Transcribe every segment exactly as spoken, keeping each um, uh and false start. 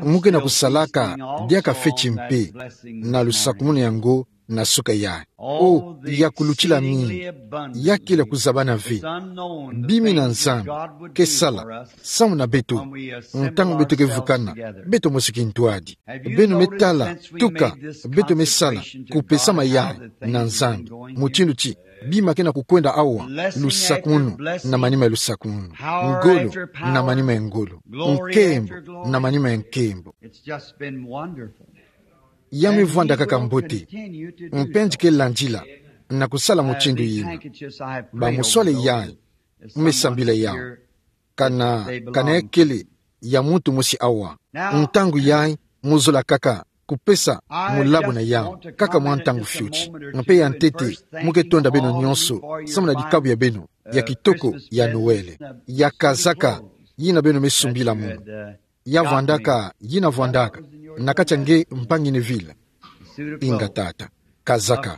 Mu ke na kusalaka diaka feti mpe na lusakumunu yango na suka yayi. O, ya kulutila mingi, ya kele kuzabana ve. Bima ina Nzambi ke sala samu na beto, ntangu beto ke vukana beto mosi kintwadi. Beno me tala tuka beto me sala kupesama yayi na Nzambi, mutindu ti bima ke na kukwenda awa, lusakumunu na manima ya lusakumunu, ngolo na manima ya ngolo, nkembo na manima ya nkembo. It's just been wonderful. Ya me vwanda kaka mbote. Mpe nzi ke landila na kusala mutindu yina. Ba muswale yayi, me sambila yawu. Kana, kana ya kele ya muntu mosi awa. Ntangu yayi, mu zola kaka kupesa mulabu na yawu, kaka mwa ntangu fioti. Mpe ya ntete, mu ke tonda beno nyonso samu na dikabu ya beno ya kitoko ya Noël, ya kazaka yina beno me sumbila munu. Ya vwandaka, yina vwandaka na kati ya nge mpangi Neville. Inga tata, kazaka.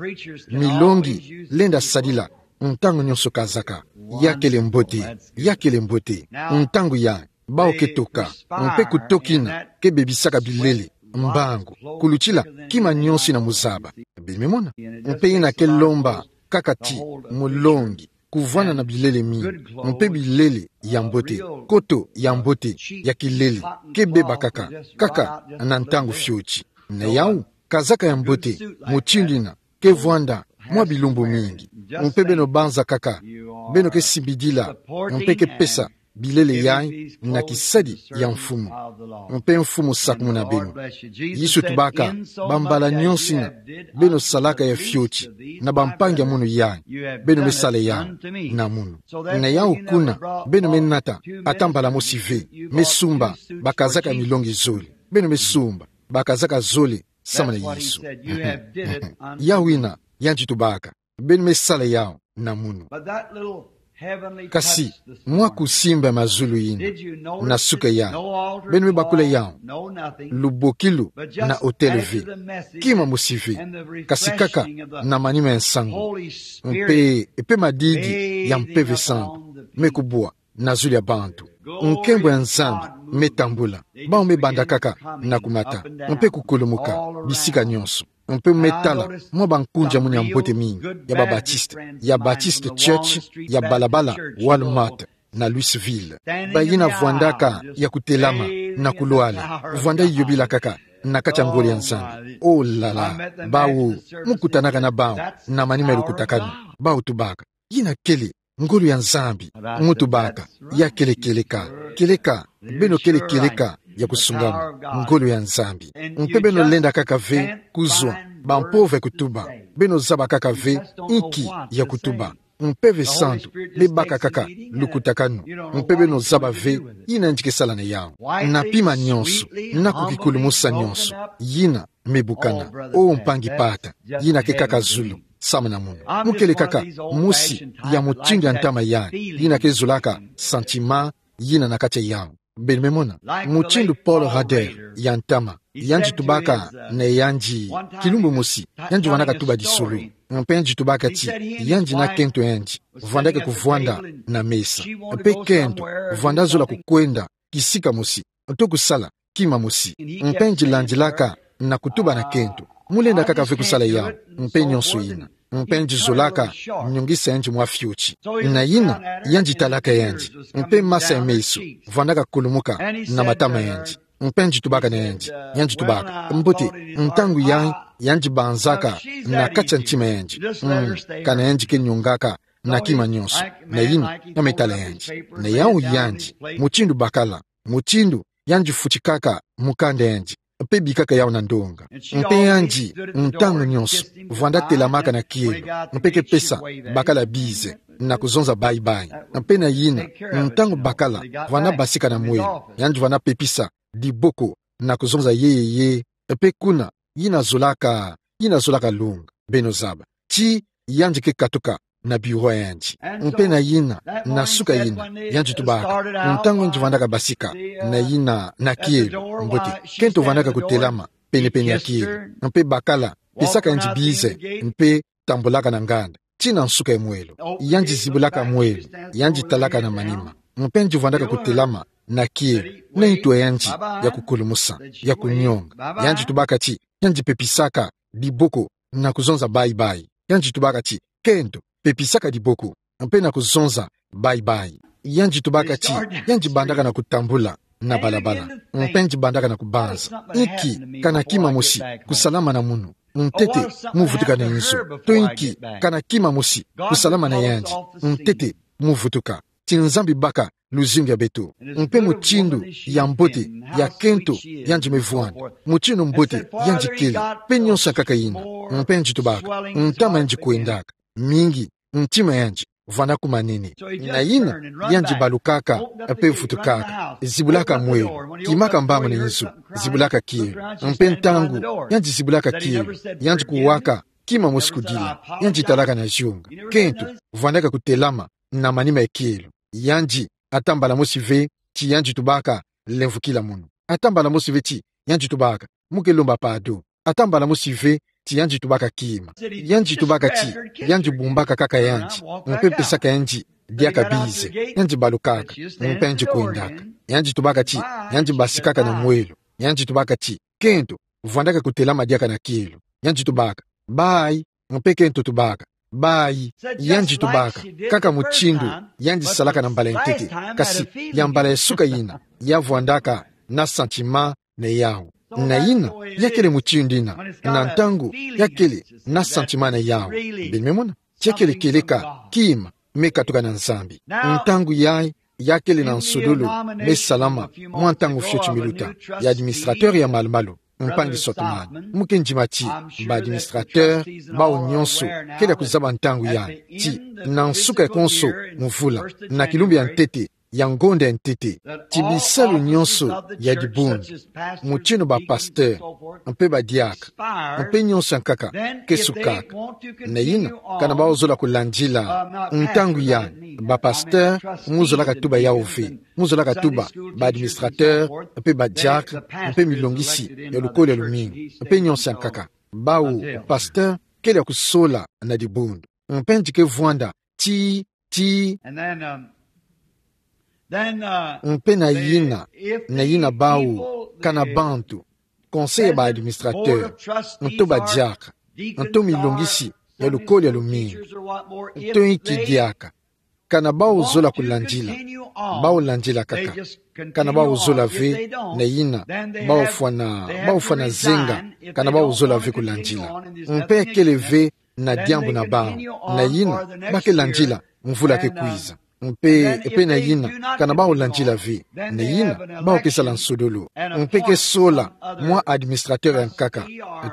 Milongi lenda sadila ntangu nyonso kazaka. Ya kele mbote, ya kele mbote. Ntangu yayi, bawu ke toka, mpe kutoka yina ke bebisaka bilele, mbangu, kulutila kima nyonso yina mu zaba. Beno me mona? Mpe yina ke lomba kaka ti mulongi kuvwanda na bilele mingi, mpe bilele ya mbote, koto ya mbote, ya kilele, ke beba kaka, kaka na ntangu fioti. Na yawu, kazaka ya mbote mutindu yina ke vwanda mwa bilumbu mingi. Mpe beno banza kaka, beno ke simbidila, mpe ke pesa bilele yayi na kisadi ya Mfumu. Mpe Mfumu sakumuna beno. Yesu tubaka, bambala nyonso yina beno salaka ya fioti na bampangi ya munu yayi, beno me sala yawu na munu. Na yawu kuna, beno me nata ata mbala mosi ve, me sumba bakazaka milongi zole. Beno me sumba bakazaka zole samu na Yesu. Yawu yina yandi tubaka, beno me sala yawu na munu. Kasi mwa kusimba mazulu yina, na suka yayi, beno me bakula yawu, lubokilu na otele ve, kima mosi ve, kasi kaka na manima ya nsangu, mpe, mpe madidi ya Mpeve Santu me kubwa na zulu ya bantu. Nkembo ya Nzambi me tambula. Bawu me banda kaka na kumata, mpe kukulumuka, bisika nyonso. Mpe me tala mwa bankunzi ya munu ya mbote mingi, ya ba Baptiste, ya Baptist Church, ya balabala Walmart, na Louisville. Bayina vwandaka ya kutelama na kulwala, vwanda yobilaka kaka na kati ya ngolo ya Nzambi. Oh là là, bawu, mu kutanaka na bawu na manima ya lukutakanu. Bawu tubaka, yina kele ngolo ya Nzambi. Mu tubaka, ya kele kieleka. Kieleka, beno kele kieleka ya kusungamu, ngolo ya Nzambi. Mpe beno lenda kaka ve kuzwa bampova ya kutuba. Beno zaba kaka ve inki ya kutuba. Mpeve Santu me baka kaka lukutakanu. Mpe beno zaba ve yina yandi ke sala na yawu. Na pima nyonso, na kukikulumusa nyonso, yina me bukana. Oh mpangi pata, yina ke kaka zulu samu na munu. Mu kele kaka mosi ya mutindu ya ntama yayi, yina ke zolaka sentiment yina na kati ya yawu. Beno me mona, mutindu Paul Rader ya ntama, yandi tubaka na yandi, kilumbu mosi, yandi vwandaka tuba disolo. Mpe yandi tubaka ti yandi na kento yandi vwandaka kuvwanda na mesa. Mpe kento vwanda zola kukwenda kisika mosi, to kusala kima mosi. Mpe yandi landilaka na kutuba na kento. Mu lenda kaka ve kusala yawu, mpe nyonso yina. Mpe yandi zolaka nyongisa yandi mwa fioti. Na yina, yandi talaka yandi. Mpe masa ya meso vwandaka kulumuka na matama yandi. Mpe yandi tubaka na yandi, yandi tubaka. Mbote, ntangu yayi, yandi banzaka na kati ya ntima yandi. Mm, kana yandi ke nyongaka na kima nyonso. Na yina, ya me tala yandi. Na yawu yandi, mutindu bakala, mutindu yandi futikaka mukanda yandi, mpe bikaka yawu na ndonga. Mpe yandi, ntangu nyonso, vwanda telamaka na kielo, mpe ke pesa bakala bize na kuzonza bye-bye. Mpe na yina, ntangu bakala vwanda basika na mwelo, yandi vwanda pepisa diboko na kuzonza yee yee, mpe kuna, yina zolaka, yina zolaka longa. Beno zaba ti yandi ke katuka na bureau yandi. Mpe na yina, na suka yina, yandi tubaka, ntangu yandi vwandaka basika na yina na kielo, mbote, kento vwandaka kutelama penepene ya kielo. Mpe bakala pesaka yandi bize, mpe tambulaka na nganda tii na nsuka ya mwelo. Yandi zibulaka mwelo, yandi talaka na manima. Mpe yandi vwandaka kutelama na kielo, na ntu a yandi ya kukulumusa, ya kunyonga. Yandi tubaka ti, yandi pepisaka diboko na kuzonza bye-bye. Yandi tubaka ti, kento, pepisaka diboko, mpe na kuzonza bye-bye. Yandi tubaka ti, yandi bandaka na kutambula na balabala, mpe yandi bandaka na kubanza: Inki, kana kima mosi kusalama na munu? Ntete, mu vutuka na nzo. To inki, kana kima mosi kusalama na yandi? Ntete, mu vutuka. Ti Nzambi baka luzingu ya beto. Mpe mutindu ya mbote, ya kento, yandi me vwanda, mutindu mbote yandi kele, mpe nyonso ya nkaka yina. Mpe yandi tubaka, ntama yandi kwendaka mingi, ntima yandi vwanda kumanene. Na yina, yandi balukaka, mpe vutukaka, zibulaka mwelo, kimaka mbangu na nzo, zibulaka kielo. Mpe ntangu yandi zibulaka kielo, yandi kuwaka kima mosi kudila, yandi talaka na zionga. Kento, vwandaka kutelama na manima ya kielo. Yandi, ata mbala mosi ve ti yandi tubaka: Lemvukila munu. Ata mbala mosi ve ti yandi tubaka: Mu ke lomba pardon. Ata mbala mosi ve ti yandi tubaka kima. Yandi tubaka ti yandi bumbaka kaka yandi, mpe pesaka yandi diaka bize. Yandi balukaka, mpe yandi kwendaka. Yandi tubaka ti yandi basikaka na mwelo. Yandi tubaka ti, kento, vwandaka kutelama diaka na kielo. Yandi tubaka: Bye. Mpe kento tubaka: Bye. Yandi tubaka, kaka mutindu yandi salaka na mbala ya ntete, kasi ya mbala ya suka yina, ya vwandaka na sentiment na yawu. Na yina, ya kele mutindu yina, na ntangu ya kele na sentiment na yawu. Beno me mona? Ti ya kele kieleka kima me katuka na Nzambi. Ntangu yayi, ya kele na nsodolo me salama mwa ntangu fioti mi luta, ya administrateur ya malu-malu, mpangi Sotman. Mu ke ndima ti ba administrateur bawu nyonso kele ya kuzaba ntangu yayi ti, na nsuka ya konso mvula, na kilumbu ya ntete ya ngonda ya ntete, ti bisalu nyonso ya dibundu, mutindu ba pasteur, mpe ba diaka, mpe nyonso ya nkaka, ke sukaka. Na yina, kana bawu zola kulandila ntangu yayi, ba pasteur, mu zolaka tuba yawu ve. Mu zolaka tuba ba administrateur, mpe ba diaka, mpe milongisi ya lukolo ya lumingu, mpe nyonso ya nkaka. Bawu pasteur kele ya kusola na dibundu. Mpe yandi ke vwanda ti, ti. Mpe na yina, na yina bawu, kana bantu, conseil ya ba administrateur, nto ba diaka, nto milongisi ya lukolo ya lumingu, nto inki diaka, kana bawu zola kulandila, bawu landila kaka. Kana bawu zola ve, na yina, bawu fwana, bawu fwana zenga, kana bawu zola ve kulandila. Mpe ya kele ve na diambu na bawu, na yina, ba ke landila mvula ke kwiza. Mpe, mpe na yina, kana bawu landila ve, na yina, bawu ke sala nsodolo. Mpe ke sola mwa administrateur ya nkaka,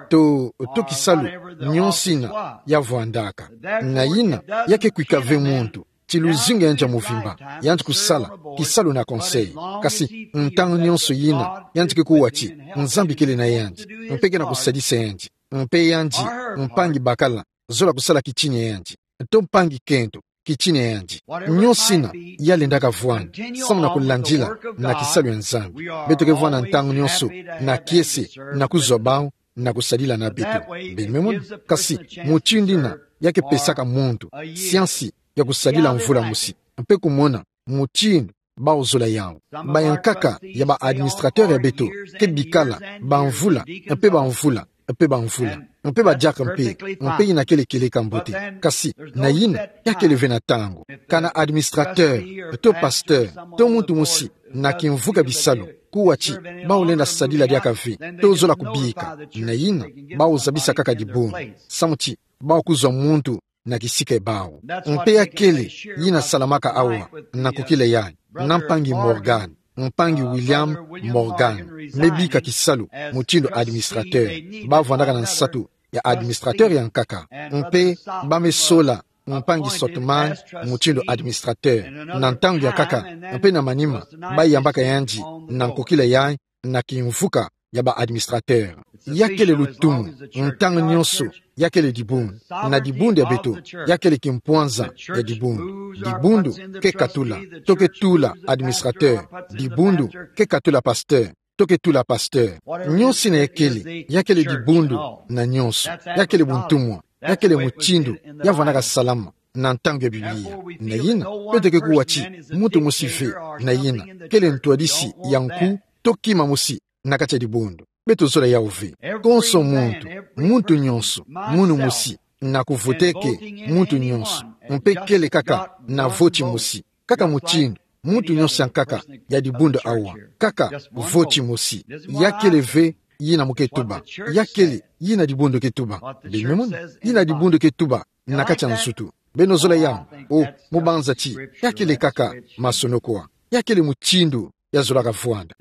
to, to kisalu nyonso yina ya vwandaka. Na yina, ya ke kwika ve muntu ti luzingu ya yandi ya mvimba, yandi kusala kisalu na conseil. Kasi ntangu nyonso yina, yandi ke kuwa ti Nzambi kele na yandi, mpe ke na kusadisa yandi. Mpe yandi, mpangi bakala, zola kusala kitini ya yandi, to mpangi kento, kitini ya yandi. Nyonso yina ya lendaka vwanda, samu na kulandila na kisalu ya Nzambi. Beto ke vwanda ntangu nyonso na kiese, na kuzwa bawu, na kusadila na beto. Beno me mona? Kasi mutindu yina, ya ke pesaka muntu siansi ya kusadila mvula mosi, mpe kumona mutindu bawu zola yawu. Ba ya nkaka ya ba administrateur ya beto ke bikala bamvula mpe bamvula mpe bamvula, mpe ba diaka mpe, mpe yina kele kieleka mbote. Kasi na yina, ya kele ve na ntangu, kana administrateur, to pasteur, to muntu mosi na kimvuka bisalu, kuwa ti bawu lenda sadila diaka ve, to zola kubika. Na yina, bawu zabisa kaka dibundu, samu ti bawu kuzwa muntu na kisika ya bawu. Mpe ya kele yina salamaka awa, na nkokila yayi, na mpangi Morgan, mpangi William Morgan, me bika kisalu mutindu administrateur. Ba vwandaka na nsatu ya administrateur ya nkaka. Mpe ba me sola mpangi Sotman mutindu administrateur. Na ntangu ya nkaka, mpe na manima, ba yambaka yandi na nkokila yayi, na kimvuka ya ba administrateur. Ya kele lutumu, ntangu nyonso, ya kele dibundu. Na dibundu ya beto, ya kele kimpwanza ya dibundu. Dibundu ke katula, to ke tula administrateur. Dibundu ke katula pasteur, to ke tula pasteur. Nyonso yina ya kele, ya kele dibundu na nyonso. Ya kele buntumwa, ya kele mutindu ya vwandaka salama. na ntangu ya Biblia. Na yina, beto ke kuwa ti muntu mosi ve na yina kele ntwadisi ya nku to kima mosi na kati ya dibundu. Beto zola yau ve. Konso muntu, muntu nyonso, munu mosi, na kuvoteke muntu nyonso, mpe kele kaka na voti mosi, kaka mutindu muntu nyonso ya nkaka ya dibundu awa, kaka voti mosi. Ya kele ve yina mu ke tuba. Ya kele yina dibundu ke tuba. Beno me mona, yina dibundu ke tuba na kati ya nzutu. Beno zola yau? Oh, mu banza ti ya kele kaka masonoko. Ya kele mutindu ya zolaka vwanda.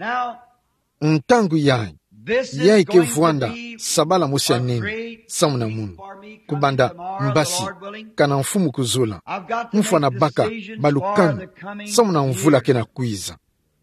Ntangu yayi, yayi ke vwanda sabala mosi ya nene, samu na munu. Kubanda mbasi, kana Mfumu kuzola, mfwana baka balukanu samu na mvula ke na kwiza,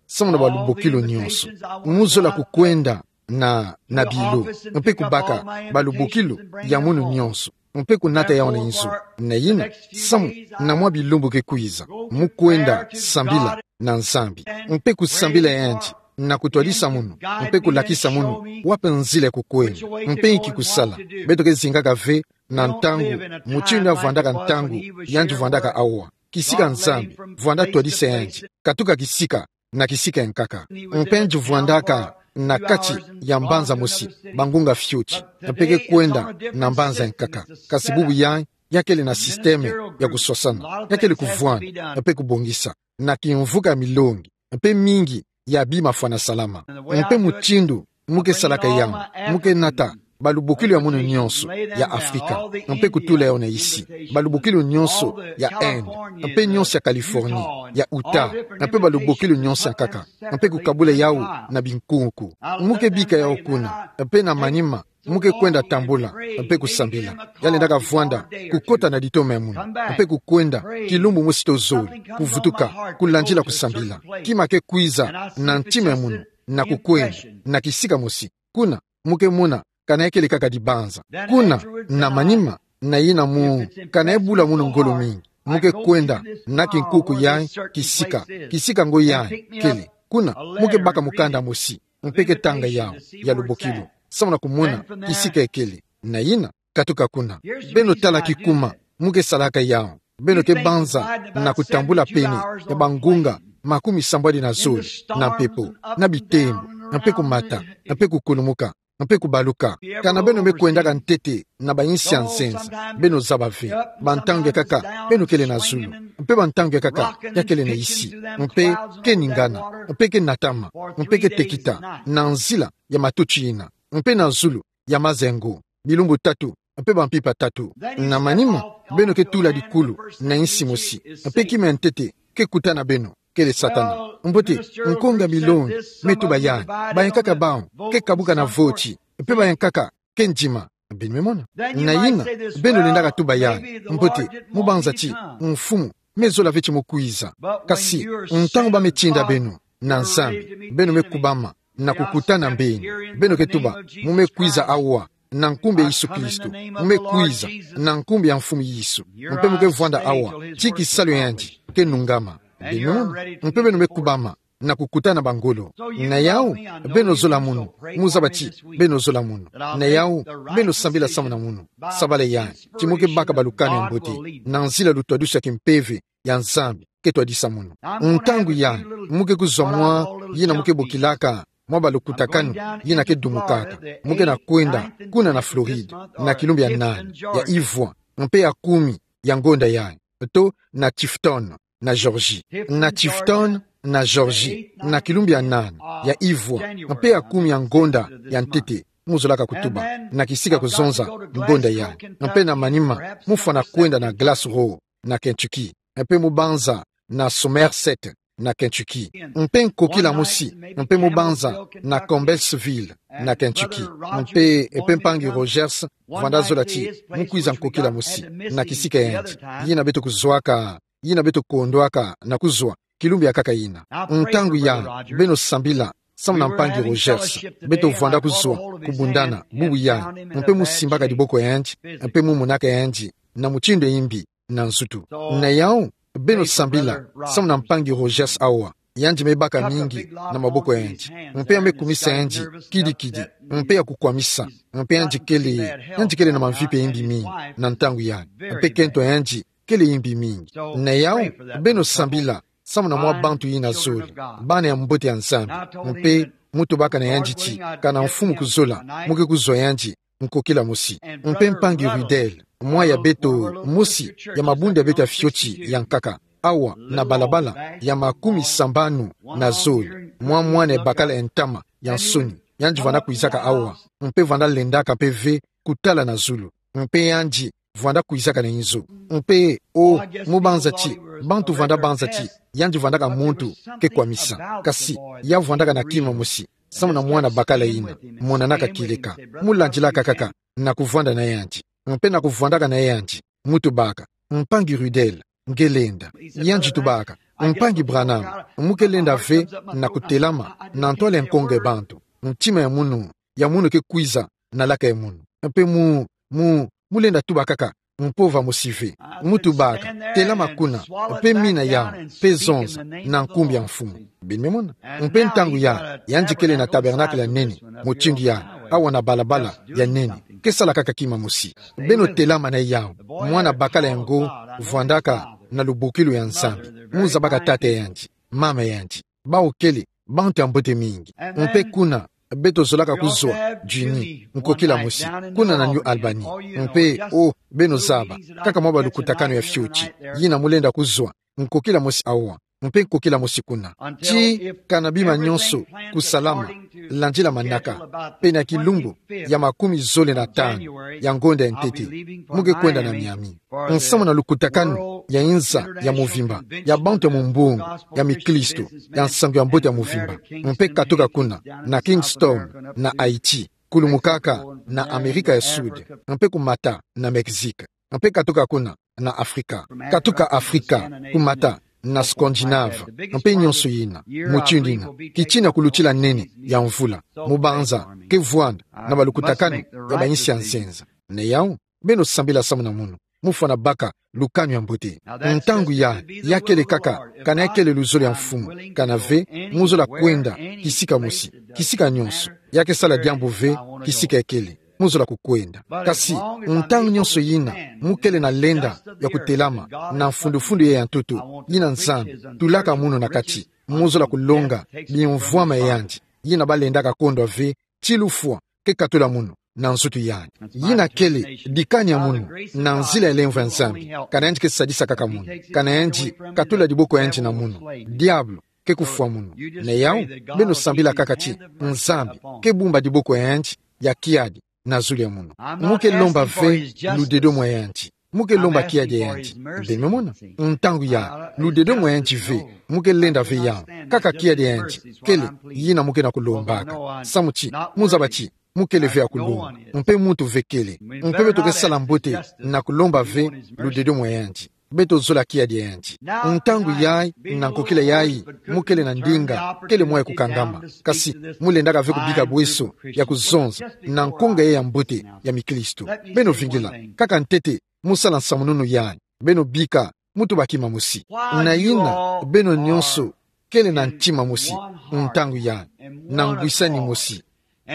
samu na balubokilu nyonso. Mu zola kukwenda na, na bilo, mpe kubaka balubokilu ya munu nyonso, mpe kunata yau na inzo. Na yina, samu na mwa bilumbu ke kwiza, mu kwenda sambila na Nzambi, mpe kusambila yandi, na kutwadisa munu, mpe kulakisa munu wapi nzila ya kukwenda, mpe inki kusala. Beto ke zingaka ve na ntangu mutindu yandi vwandaka ntangu yandi vwandaka awa. Kisika Nzambi vwanda twadisa yandi, katuka kisika na kisika ya nkaka. Mpe yandi vwandaka na kati ya mbanza mosi, bangunga fioti, mpe ke kwenda na mbanza ya nkaka. Kasi bubu yayi, ya kele na sisteme ya kuswasana, ya kele kuvwanda mpe kubongisa na kimvuka ya milongi, mpe mingi ya bima fwana salama. Mpe mutindu mu ke salaka yau, mu ke nata balubokilu ya munu nyonso ya Afrika, mpe kutula yau na isi, balubokilu nyonso ya Inde, mpe nyonso ya Californie, ya Utah, mpe balubokilu nyonso ya nkaka, mpe kukabula yau na binkunku. Mu ke bika yau kuna, mpe na manima, mu ke kwenda tambula mpe kusambila. Ya lendaka vwanda kukota na litoma ya munu, mpe kukwenda kilumbu mosi to zole, kuvutuka, kulandila kusambila. Kima ke kwiza na ntima ya munu, na kukwenda na kisika mosi. Kuna, mu ke mona, kana ya kele kaka dibanza. Kuna, na manima, na yina mu, kana ya bula munu ngolo mingi, mu ke kwenda na kinkunku yayi, kisika, kisika ngo yayi kele. Kuna, mu ke baka mukanda mosi, mpe ke tanga yau, ya lubokilu, samu na kumona kisika ya kele. Na yina, katuka kuna. Beno tala kikuma mu ke salaka yau. Beno ke banza na kutambula pene ya bangunga makumi sambwadi na zole na mpepo, na bitembo, mpe kumata, mpe kukulumuka, mpe kubaluka. Kana beno me kwendaka ntete na bayinsi ya nzenza, beno zaba ve. Bantangu ya nkaka, beno kele na zulu, mpe bantangu ya nkaka, ya kele na isi, mpe ke ningana, mpe ke natama, mpe ke tekita na nzila ya matutu yina, mpe na zulu ya mazengo, bilumbu tatu, mpe bampimpa tatu. Na manima, beno ke tula dikulu na yinsi mosi, mpe kima ya ntete ke kuta na beno, kele Satana. Mbote, nkonga milongi me tuba yayi, bayankaka bau ke kabuka na voti, mpe bayankaka ke ndima. Beno me mona? Na yina, beno lendaka tuba yayi, mbote, mu banza ti Mfumu me zola ve ti mu kwiza. Kasi ntangu ba me tinda beno na Nzambi, beno me kubama na kukutana mbeni. Beno ke tuba: Mu me kwiza awa na nkumbu ya Yesu Kristo. Mu me kwiza na nkumbu ya Mfumu Yesu. Mpe mu ke vwanda awa ti kisalu ya yandi ke nungama. Beno, mpe beno me kubama na kukutana bangolo. Na yau, beno zola munu. Mu zaba ti beno zola munu. Na yau, beno sambila samu na munu. Sabala yayi ti mu ke baka balukanu ya mbote na nzila lutwadusu ya kimpeve ya Nzambi ke twadisa munu. Ntangu yayi, mu ke kuzwa mwa yina mu ke bokilaka mwa balukutakanu yina ke dumukaka. Mu ke na kwenda kuna na Floride na kilumbu ya nani, ya ivwa, mpe ya kumi ya ngonda yayi, to na Tifton, na Georgie. Na Tifton, na Georgie, na kilumbu ya nani, ya ivwa, mpe ya kumi ya ngonda ya ntete, mu zolaka kutuba, na kisika kuzonza ngonda yayi. Mpe na manima, mu fwana kwenda na Glass Hall, na Kentucky. Mpe mu banza na Somerset, na Kentucky. Mpe nkokila mosi, mpe mu banza na Campbellsville, na Kentucky. Mpe, mpe mpangi Rogers vwanda zola ti mu kwiza nkokila mosi na kisika ya yandi. Yina beto kuzwaka, yina beto kondwaka na kuzwa kilumbu ya nkaka yina. Ntangu yayi, beno sambila samu na mpangi Rogers. Beto vwanda kuzwa kubundana bubu yayi, mpe mu simbaka diboko ya yandi, mpe mu monaka yandi na mutindu ya imbi na nzutu. Na yau, beno sambila samu na mpangi Rogers awa. Yandi me baka mingi na maboko ya yandi, mpe ya me kumisa yandi kidi-kidi, mpe ya kukwamisa, mpe yandi kele, yandi kele na mamvipa ya imbi mingi na ntangu yayi. Mpe kento ya yandi kele yimbi mingi. Na yawu, beno sambila samu na mwa bantu yina zole, bana ya mbote ya Nzambi. Mpe mu tubaka na yandi ti, kana mfumu kuzola, mu ke kuzwa yandi nkokila mosi. Mpe mpangi Rudel, mwa ya beto mosi ya mabundu ya beto ya fioti ya nkaka, awa na balabala ya makumi sambanu na zole, mwa mwana ya bakala ya ntama ya nsoni, yandi vwanda kwizaka awa, mpe vwanda lendaka mpe ve kutala na zulu. Mpe yandi vwanda kwizaka na inzo. Mpe, o, mu banza ti, bantu vwanda banza ti yandi vwandaka muntu ke kwamisa. Kasi ya vwandaka na kima mosi, samu na mwana bakala yina, monanaka kieleka. Mu landilaka kaka na kuvwanda na yandi. Mpe na kuvwandaka na yandi, mu tubaka: Mpangi Rudel, nge lenda. Yandi tubaka: Mpangi Branham, mu ke lenda ve na kutelama na ntwala ya nkongo ya bantu? Ntima ya munu, ya munu ke kwiza na laka ya munu. Mpe mu, mu, mu lenda tuba kaka mpova mosi ve. Mu tubaka: Telama kuna, mpe mina yawu, mpe zonza, na nkumbu ya Mfumu. Beno me mona? Mpe ntangu yayi, yandi kele na tabernacle ya nene, mutindu yayi, awa na balabala ya nene, ke sala kaka kima mosi. Beno telama na yawu, mwana bakala yango vwandaka na lubokilu ya Nzambi. Mu zabaka tata ya yandi, mama ya yandi, bawu kele bantu ya mbote mingi. Mpe kuna, beto zolaka kuzwa, Juni, nkokila mosi, kuna na New Albany. Mpe, o, beno zaba, kaka mwa balukutakanu ya fioti yina mu lenda kuzwa, nkokila mosi awa, mpe nkokila mosi kuna. Ti kana bima nyonso kusalama, landila manaka, pene ya kilumbu ya makumi zole na tanu ya ngonda ya ntete, mu ke kwenda na Miami. Nsamu na lukutakanu ya inza ya muvimba, ya bantu ya mumbongo, ya miklisto, ya nsangu ya mbote ya muvimba. Mpe katuka kuna, na Kingston, na Haïti, kulumukaka na Amerika ya Sud, mpe kumata na Mexique. Mpe katuka kuna, na Afrika. Katuka Afrika, kumata na Scandinave, mpe nyonso yina, mutindu yina, kitina kulutila nene ya mvula, mu banza ke vwanda na balukutakanu ya bayinsi ya nzenza. Na yawu, beno sambila samu na munu, mu fwana baka lukanu ya mbote. Ntangu yayi, ya kele kaka, kana ya kele luzolo ya Mfumu, kana ve, mu zola kwenda kisika mosi, kisika nyonso, ya ke sala diambu ve kisika ya kele mu zola kukwenda. Kasi, ntangu nyonso yina mu kele na lenda ya kutelama na mfundufundu yayi ya ntoto, yina Nzambi tulaka munu na kati, mu zola kulonga bimvwama ya yandi, yina balendaka kondwa ve ti lufwa ke katula munu na nzutu yayi. Yina kele dikani ya munu na nzila ya lemvo ya Nzambi, kana yandi ke sadisa kaka munu, kana yandi katula diboko ya yandi na munu, diabulu ke kufwa munu. Na yawu, beno sambila kaka ti Nzambi ke bumba diboko ya yandi ya kiadi na zulu ya munu. Mu ke lomba ve ludedo mwa yandi. Mu ke lomba kiadi ya yandi. Beno me mona? Ntangu yayi, ludedo mwa yandi ve, mu ke lenda ve yawu. Kaka kiadi ya yandi kele yina mu ke na kulombaka. Samu ti, mu zaba ti mu kele ve ya kulomba, mpe muntu ve kele. Mpe beto ke sala mbote na kulomba ve ludedo mwa yandi. Beto zola kiadi ya yandi. Ntangu yayi, na nkokila yayi, mu kele na ndinga, kele mwa ya kukangama. Kasi, mu lendaka ve kubika bweso ya kuzonza na nkunga yayi ya mbote ya miklisto. Beno vingila, kaka ntete, mu sala nsamununu yayi. Beno bika, mu tuba kima mosi. Na yina, beno nyonso kele na ntima mosi, ntangu yayi, na ngwisani mosi,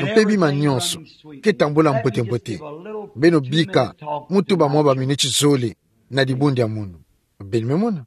mpe bima nyonso ke tambula mbote-mbote. Beno bika, mu tuba mwa baminiti zole na dibundu ya munu. Beno me mona?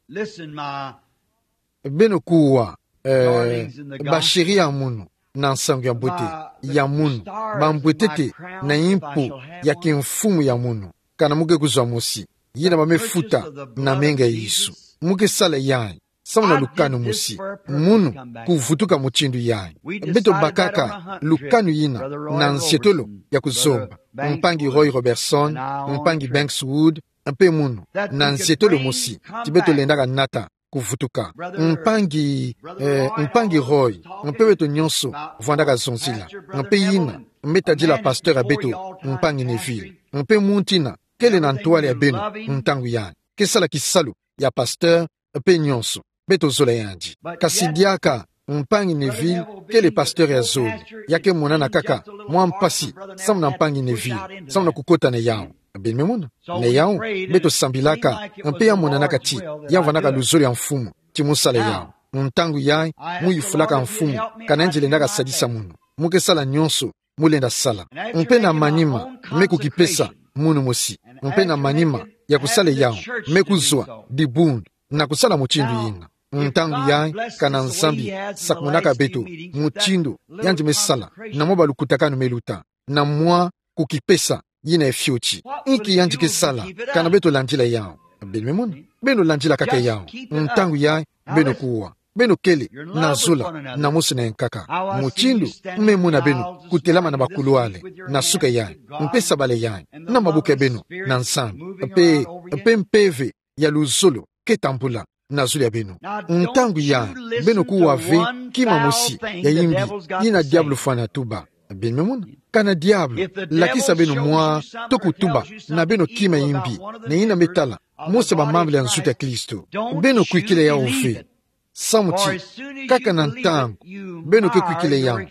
Beno kuwa, eh, basheri ya munu na nsangu ya mbote ya munu, bambwetete na yimpu ya kimfumu ya munu, kana mu ke kuzwa mosi, yina ba me futa na menga ya Yesu. Mu ke sala yayi samu na lukanu mosi, munu kuvutuka mutindu yayi. Beto bakaka lukanu yina na nzietolo ya kuzomba. Mpangi Roy Robertson, mpangi Banks Wood, mpe munu, na nzietolo mosi, ti beto lendaka nata kuvutuka. Mpangi, eh, mpangi Roy, mpe beto nyonso vwandaka zonzila. Mpe yina me tadila pasteur ya beto, mpangi Neville. Mpe muntu yina kele na ntwala ya beno ntangu yayi, ke sala kisalu ya pasteur, mpe nyonso beto zola yandi. Kasi diaka, mpangi Neville kele pasteur ya zole, ya ke monana kaka mwa mpasi samu na mpangi Neville, samu na kukota na yawu. Beno me mona? Na yawu, beto sambilaka, mpe ya monanaka ti ya vwandaka luzolo ya Mfumu ti mu sala yawu. Ntangu yayi, mu yufulaka Mfumu, kana yandi lendaka sadisa munu. Mu ke sala nyonso mu lenda sala. Mpe na manima, me kukipesa munu mosi. Mpe na manima, ya kusala yawu, me kuzwa dibundu na kusala mutindu yina. Ntangu yayi, kana Nzambi sakumunaka beto mutindu yandi me sala na mwa balukutakanu me luta, na mwa kukipesa yina ya fioti. Inki yandi ke sala kana beto landila yawu? Beno me mona, beno landila kaka yawu. Ntangu yayi, beno kuwa, beno kele na zola na mosi na yankaka. Mutindu me mona beno kutelama na bakulwale na suka yayi, mpe sabala yayi na maboko ya beno na Nzambi, mpe, mpe mpeve ya luzolo ke tambula na zulu ya beno. Ntangu yayi, beno kuwa ve kima mosi ya yimbi yina diabulu fwana tuba. Beno me mona, kana diabulu lakisa beno mwa to kutuba na beno kima yimbi na yina me tala mosi ya bamambala ya nzutu ya Kristo, beno kwikila yawu ve. Samu ti, kaka na ntangu beno ke kwikila yawu,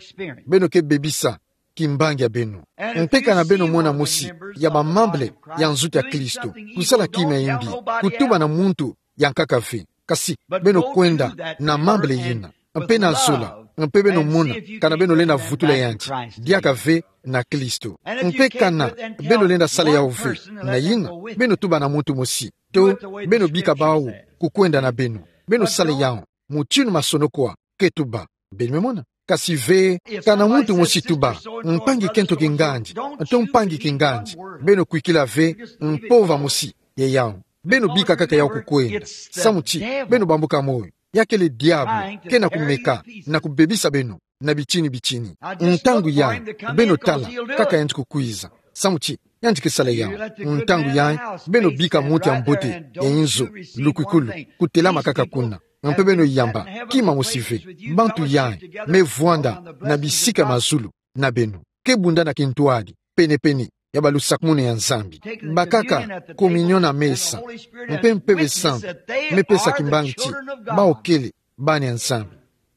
beno ke bebisa kimbangi ya beno. Mpe kana beno mona mosi ya bamambala ya nzutu ya Kristo kusala kima ya yimbi, kutuba na muntu yankaka ve, kasi beno kwenda na mambala yina, mpe na zola, mpe beno mona kana beno lenda vutula yandi diaka ve na Kristo. Mpe kana beno lenda sala yawu ve, na yina, beno tuba na muntu mosi, to beno bika bawu kukwenda na beno, beno sala yawu mutindu masonoko ke tuba. Beno me mona. Kasi ve, kana muntu mosi tuba, mpangi kento kingandi, to mpangi kingandi, beno kwikila ve mpova mosi ya yawu. Beno bika kaka yawu kukwenda. Samu ti, beno bambuka moyo. Ya kele diabulu ke na kumeka na kubebisa beno na bitini bitini. Ntangu yayi, beno tala kaka yandi kukwiza. Samu ti, yandi ke sala yawu. Ntangu yayi, beno bika muntu ya mbote ya inzo lukwikulu kutelama kaka kuna, mpe beno yamba kima mosi ve. Bantu yayi me vwanda na bisika mazulu na beno, ke bunda na kintwadi penepene ya balusakumunu ya Nzambi. Bakaka communion na mesa, mpe Mpeve Santu me pesa kimbangi ti bawu kele bana ya Nzambi.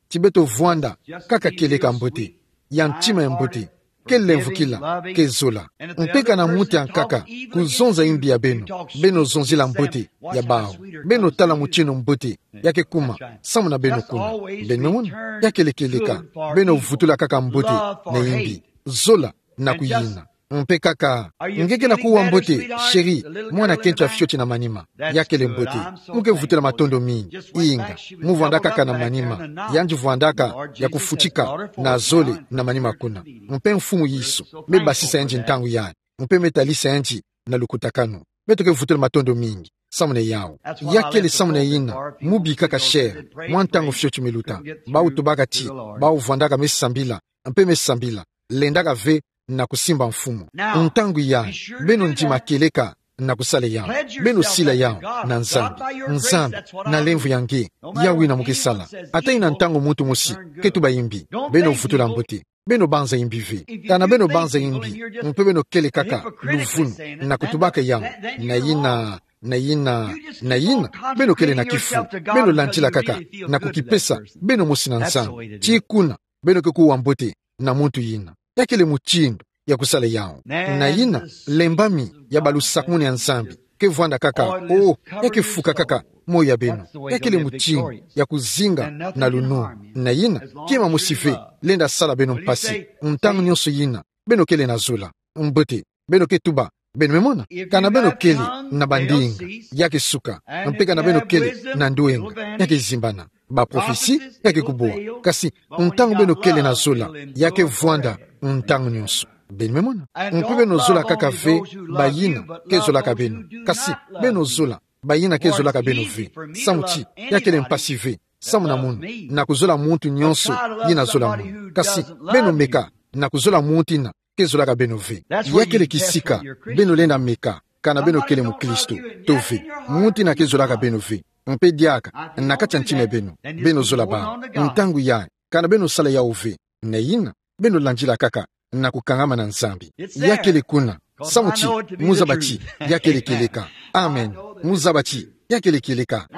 Ti beto vwanda kaka kieleka mbote, ya ntima ya mbote, ke lemvukila, ke zola. Mpe kana muntu yankaka kuzonza yimbi ya beno, beno zonzila mbote ya bawu. Beno tala mutindu mbote ya ke kuma samu na beno kuna. Beno me mona, ya kele kieleka, beno vutula kaka mbote na yimbi, zola na kuyina. Mpe kaka, nge ke na kuwa mbote, chéri, mwana kento ya fioti na manima. Ya kele mbote. Mu ke vutula matondo mingi. Inga, mu vwandaka kaka na manima. Yandi vwandaka ya kufutika na zole na manima kuna. Mpe Mfumu Yesu me basisa yandi ntangu yayi, mpe me talisa yandi na lukutakanu. Beto ke vutula matondo mingi samu na yawu. Ya kele samu na yina mu bikaka, chéri, mwa ntangu fioti me luta. Bawu tubaka ti bawu vwandaka me sambila, mpe me sambila, lendaka ve na kusimba mfumu. Ntangu yayi, beno ndima kieleka na kusala yawu. Beno sila yawu na Nzambi. Nzambi, na lemvo ya nge, yawu yina mu ke sala. Ata yina ntangu muntu mosi ke tuba yimbi, beno vutula mbote. Beno banza yimbi ve. Kana beno banza yimbi, mpe beno kele kaka luvunu na kutubaka yawu, na yina, na yina, na yina, beno kele na kifu. Beno landila kaka na kukipesa beno mosi na Nzambi. Ti kuna beno ke kuwa mbote na muntu yina. Ya kele mutindu ya kusala yawu. Na yina, lembami ya balusakumunu ya Nzambi ke vwanda kaka, oh, ya ke fuka kaka moyo ya beno. Ya kele mutindu ya kuzinga na lunu. Na yina, kima mosi ve lenda sala beno mpasi. Ntangu nyonso yina beno kele na zola, mbote, beno ke tuba. Beno me mona, kana beno kele na bandinga, ya ke suka. Mpe kana beno kele na ndwenga, ya ke zimbana. Ba prophetie ya ke kubwa. Kasi ntangu beno kele na zola, ya ke vwanda ntangu nyonso. Beno me mona. Mpe beno zola kaka ve bayina ke zolaka beno, kasi beno zola bayina ke zolaka beno ve. Samu ti, ya kele mpasi ve samu na mono na kuzola muntu nyonso yina azola mono. Kasi beno meka na kuzola muntu yina ke zolaka beno ve. Ya kele kisika beno lenda meka kana beno kele mukristo to ve. Muntu yina ke zolaka beno ve, mpe diaka na kati ya ntima ya beno, beno zola bawu. Ntangu yayi, kana beno sala yawu ve, na yina, beno landila kaka na kukangama na Nzambi. Ya kele kuna, samu ti mu zaba ti ya kele kieleka. Amen. Mu zaba ti ya kele kieleka.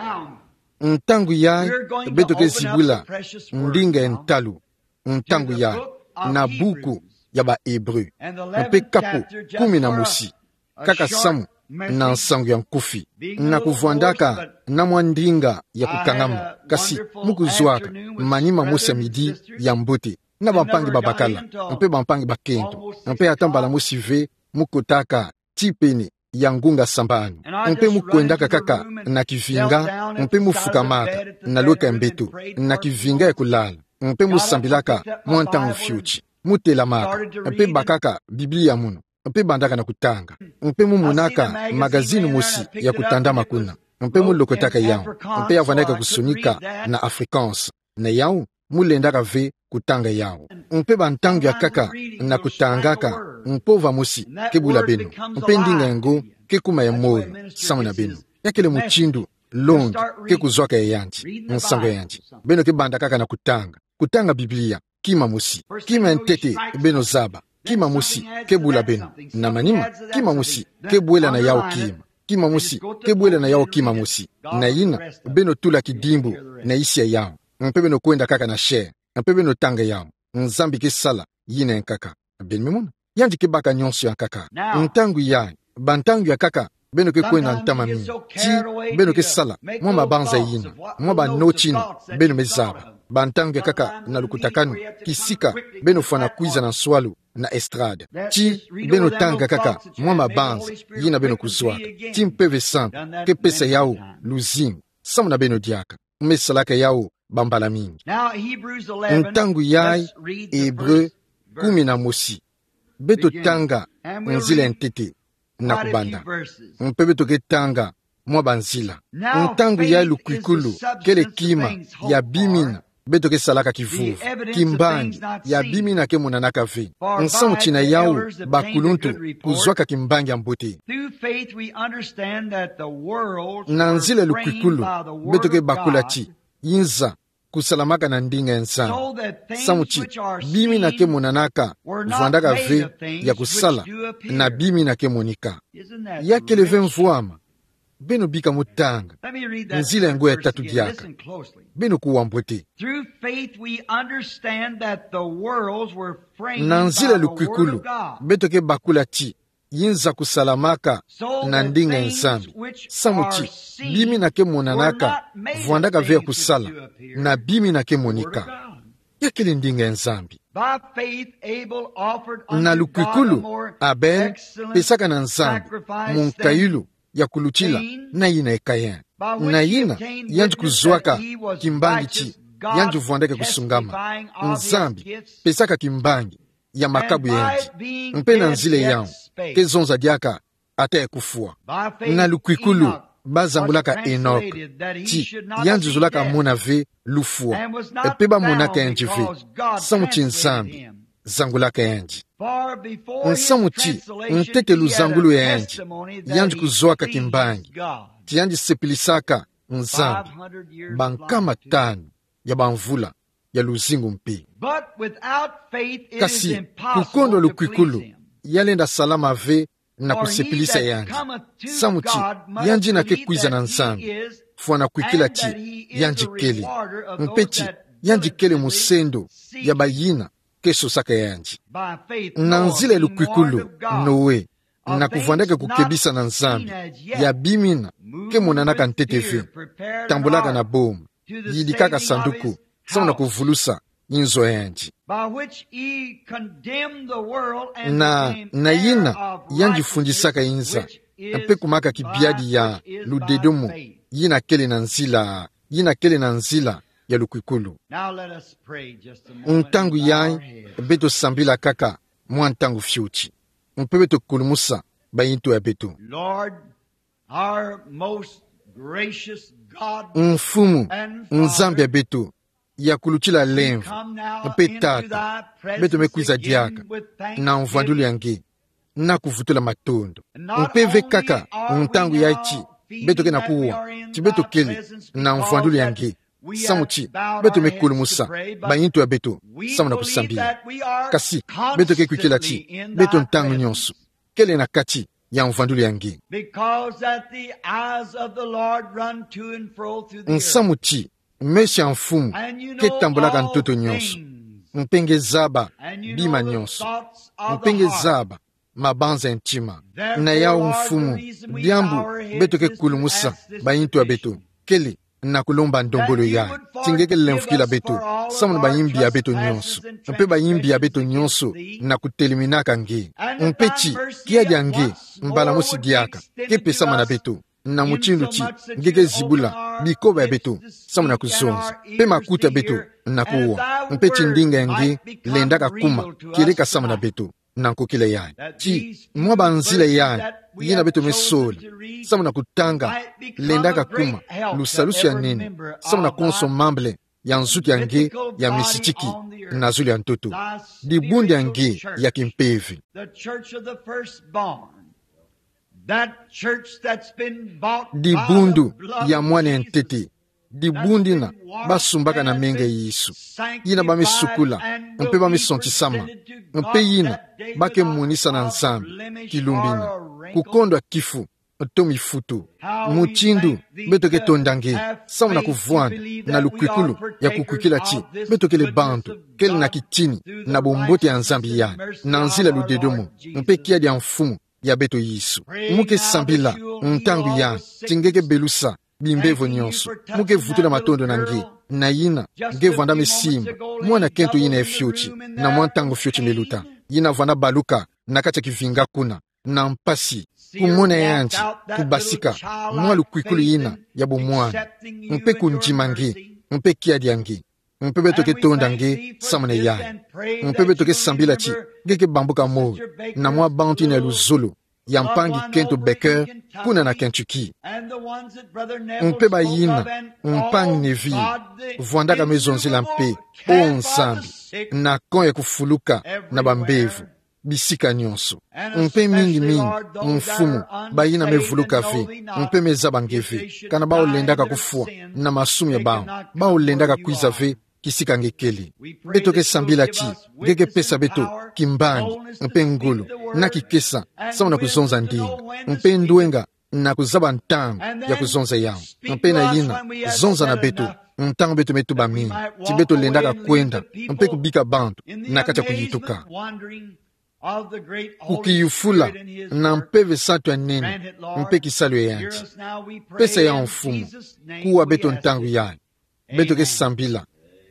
Ntangu yayi, beto ke zibula ndinga ya ntalu, ntangu yayi, na buku ya ba Hébreux, mpe kapu kumi na mosi, kaka samu na nsangu ya nkufi. Na kuvwandaka na mwa ndinga ya kukangama, kasi mu kuzwaka manima mosi ya midi ya mbote na bampangi babakala mpe bampangi bakento, mpe ata mbala mosi ve mu kotaka tipene ya ngunga sambanu. Mpe mu kwendaka kaka na kivinga, mpe mu fukamaka na lweka ya mbeto, na kivinga ya kulala, mpe mu sambilaka mwa ntangu fioti. Mu telamaka, mpe bakaka Biblia munu, mpe bandaka na kutanga. Mpe mu monaka magazini mosi ya kutandama kuna, mpe mu lokotaka yawu, mpe ya vandaka kusonika na Afrikaans. Na yawu, mu lendaka ve kutanga yawu. Mpe bantangu ya nkaka na kutangaka, mpova mosi ke bula beno, mpe ndinga yango ke kuma ya moyo samu na beno. Ya kele mutindu longi ke kuzwaka ya yandi, nsangu ya yandi. Beno ke banda kaka na kutanga, kutanga Biblia, kima mosi. Kima ya ntete beno zaba, kima mosi ke bula beno. Na manima, kima mosi ke bwela na yawu kima. Kima mosi ke bwela na yawu kima mosi. Na yina, beno tula kidimbu na isi ya yawu, mpe beno kwenda kaka na chaire, mpe beno tanga yawu. Nzambi ke sala yina ya nkaka. Beno me mona? Yandi ke baka nyonso ya nkaka. Ntangu yayi, bantangu ya nkaka, beno ke kwenda ntama mingi. Ti beno ke sala mwa mabanza yina, mwa ba noti yina beno me zaba. Bantangu ya nkaka na lukutakanu, kisika beno fwana kwiza na nswalu na estrade. Ti beno tanga kaka mwa mabanza yina beno kuzwaka. Ti Mpeve Santu ke pesa yawu luzingu samu na beno diaka. Mu me salaka yawu bambala mingi. Ntangu yayi, Ebre kumi na mosi. Beto tanga nzila ya ntete na kubanda. Mpe beto ke tanga mwa banzila. Ntangu yayi lukwikulu kele kima ya bima yina beto ke salaka kivuvu. Kimbangi ya bima yina ke monanaka ve. Nsamu ti na yawu bakuluntu kuzwaka kimbangi ya mbote. Na nzila ya lukwikulu, beto ke bakula ti yinza kusalamaka na ndinga ya Nzambi. Samu ti bima yina ke monanaka vwandaka ve ya kusala na bima yina ke monika. Ya kele ve mvwama? Beno bika mu tanga nzila yango ya tatu diaka. Beno kuwa mbote. Na nzila ya lukwikulu, beto ke bakula ti yinza kusalamaka na ndinga ya Nzambi. Samu ti bima yina ke monanaka vwandaka ve ya kusala na bima yina ke monika. Ya kele ndinga ya Nzambi. Na lukwikulu, Abel pesaka na Nzambi munkayulu ya kulutila na yina ya Kayin. Na yina, yandi kuzwaka kimbangi ti yandi vwandaka kusungama. Nzambi pesaka kimbangi ya makabu ya yandi. Mpe na nzila yawu, ke zonza diaka ata ya kufwa. Na lukwikulu, bazangulaka Enok ti yandi zolaka mona ve lufwa, mpe bamonaka yandi ve, samu ti Nzambi zangulaka yandi. Nsamu ti ntete luzangulu ya yandi, yandi kuzwaka kimbangi ti yandi sepilisaka Nzambi bankama tanu ya bamvula ya luzingu mpe. Kasi, kukondwa lukwikulu, ya lenda salama ve na kusepilisa yandi. Samu ti yandi yina ke kwiza na Nzambi, fwana kwikila ti yandi kele, mpe ti yandi kele musendo ya bayina ke sosaka yandi. Na nzila ya lukwikulu, Noe, na kuvwandaka kukebisa na Nzambi ya bima yina ke monanaka ntete ve, tambulaka na boma, yidikaka sanduku samu na kuvulusa yinzo ya yandi. Na, na yina, yandi fundisaka yinza, mpe kumaka kibiadi ya ludedomo yina kele na nzila, yina kele na nzila ya lukwikulu. Ntangu yayi, beto sambila kaka mwa ntangu fioti, mpe beto kulumusa bayintu ya beto. Mfumu, Nzambi ya beto ya kulutila lemvo mpe Tata, beto me kwiza diaka na mvwandulu ya nge, na kuvutula matondo. Mpe ve kaka ntangu yayi ti beto ke na kuwa ti beto kele na mvwandulu ya nge, samu ti beto me kulumusa bayintu ya beto samu na kusambila. Kasi, beto ke kwikila ti beto ntangu nyonso kele na kati ya mvwandulu ya nge. Nsamu ti meso ya Mfumu ke tambulaka ntoto nyonso, mpe nge zaba bima nyonso, mpe nge zaba mabanza ya ntima. Na yawu Mfumu, diambu beto ke kulumusa bayintu ya beto kele na kulomba ndombolo yai. Ti nge ke lemfukila beto, samu na bayimbi ya beto nyonso. Mpe bayimbi ya beto nyonso, na kutelemenaka nge. Mpe ti, kiadi ya nge, mbala mosi diaka, ke pesama na beto. Na mutindu ti, nge ke zibula, bikoba ya beto, samu na kuzonza. Mpe makuta ya beto, na kuwa. Mpe ti ndinga ya nge, lendaka kuma, kieleka samu na beto. Na nkokila yai. Ti, mwa banzila yai, yina beto me sola. Samu na kutanga, lendaka kuma, lusalusu ya nene. Samu na konso mambu ya nzuki ya nge, ya misitiki, na zulu ya ntoto. Dibundu ya nge, ya kimpeve. The church of the firstborn. That church that's been bought by the blood of Jesus. Dibundu ya mwana ya ntete. Dibundu yina basumbaka na menga ya Yesu. Yina ba me sukula, mpe ba me sontisama. Mpe yina, ba ke monisa na Nzambi, kilumbu yina. Kukondwa kifu, to mifutu. Mutindu, beto ke tonda nge, samu na kuvwanda, na lukwikulu, ya kukwikila ti, beto kele bantu, kele na kitini, na bombote ya Nzambi yai, na nzila ludedomo, mpe kiadi ya Mfumu, ya beto Yesu. Mu ke sambila, ntangu yai, ti nge ke belusa, bimbevo nyonso. Mu ke vutula matondo na nge, na yina, nge vwanda me simba, mwana kento yina ya fioti, na mwa ntangu fioti me luta. Yina vwanda baluka, na kati ya kivinga kuna, na mpasi, kumona yandi, kubasika, mwa lukwikulu yina, ya bomwana. Mpe kundima nge, mpe kiadi ya nge. Mpe beto ke tonda nge, samu na yai. Mpe beto ke sambila ti, nge ke bambuka moyo, na mwa bantu yina ya luzolo, ya mpangi kento Baker, kuna na Kentucky. Mpe bayina, mpangi Neville, vwandaka me zonzila mpe, o Nzambi, na kô ya kufuluka, na bambevo. Bisika nyonso. Mpe mingi mingi, Mfumu, bayina me vuluka ve, mpe me zaba nge ve, kana bao lendaka kufwa, na masumu ya bao, bao lendaka kwiza ve, kisika nge kele. Beto ke sambila ti, nge ke pesa beto, kimbangi, mpe ngolo, na kikesa, samu na kuzonza ndinga, mpe ndwenga, na kuzaba ntangu, ya kuzonza yau. Mpe na yina, zonza na beto, ntangu beto me tuba mingi, ti beto lendaka kwenda, mpe kubika bantu, na kati ya kuyituka. Kukiyufula, na mpeve santu ya nene, mpe kisalu ya yandi. Pesa yau Mfumu, kuwa beto ntangu yai. Beto ke sambila,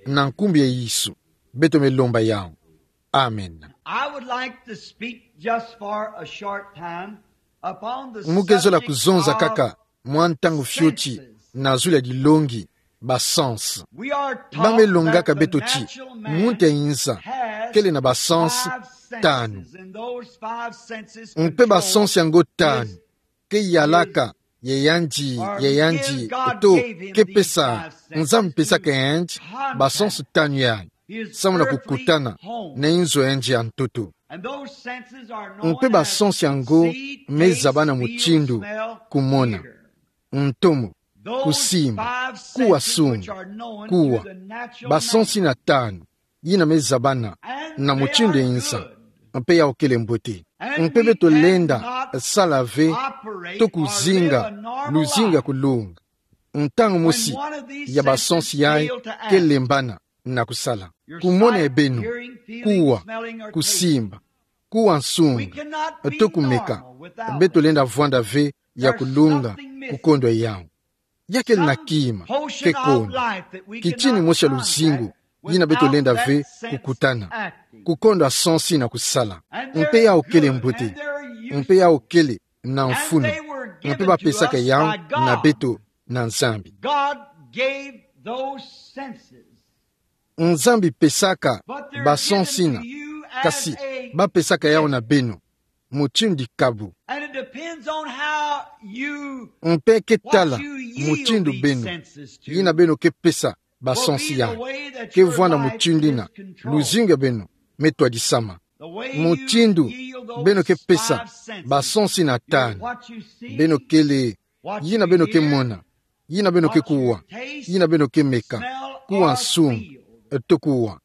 na nkumbu ya Yesu, beto me lomba yau. Amen. I would like to speak just for a short time upon the subject of senses. Mu ke zola kuzonza kaka, mwa ntangu fioti, na zulu ya dilongi, ba sens. Ba me longaka beto ti, muntu ya yinza, kele na ba sens tanu. Mpe ba sens yango tanu, ke yalaka, ya yandi, ya yandi, to, ke pesa, Nzambi pesaka yandi, ba sens tanu yai, samu na kukutana, na inzo ya yandi ya ntoto. Mpe ba sens yango, me zabana mutindu, kumona. Ntomo, kusimba, kuwa sunga, kuwa. Ba sens yina tanu, yina me zabana, na mutindu ya yinza, mpe yau kele mbote. Mpe beto lenda, sala ve, to kuzinga, luzingu ya kulonga. Ntangu mosi, ya ba sens yai, ke lembana, na kusala. Kumona ya beno, kuwa, kusimba, kuwa nsunga, to kumeka, beto lenda vwanda ve ya kulonga kukondwa yau. Ya kele na kima, ke kona. Kitini mosi ya luzingu, yina beto lenda ve kukutana. Kukondwa sens yina kusala. Mpe yau kele mbote. Mpe yau kele na mfunu. Mpe ba pesaka yau na beto na Nzambi. God gave those senses. Nzambi pesaka ba sens yina, kasi ba pesaka yau na beno, mutindu dikabu. And it depends on how you, mpe ke tala, what you yield mutindu these beno, senses to, yina beno ke pesa ba sens yai, ke vwanda mutindu yina, luzingu ya beno me twadisama. The way you yield those five senses, mutindu beno ke pesa ba sens yina tanu, what you see, beno kele, yina beno ke mona, yina beno ke kuwa, yina beno ke meka, kuwa nsunga, to kuwa.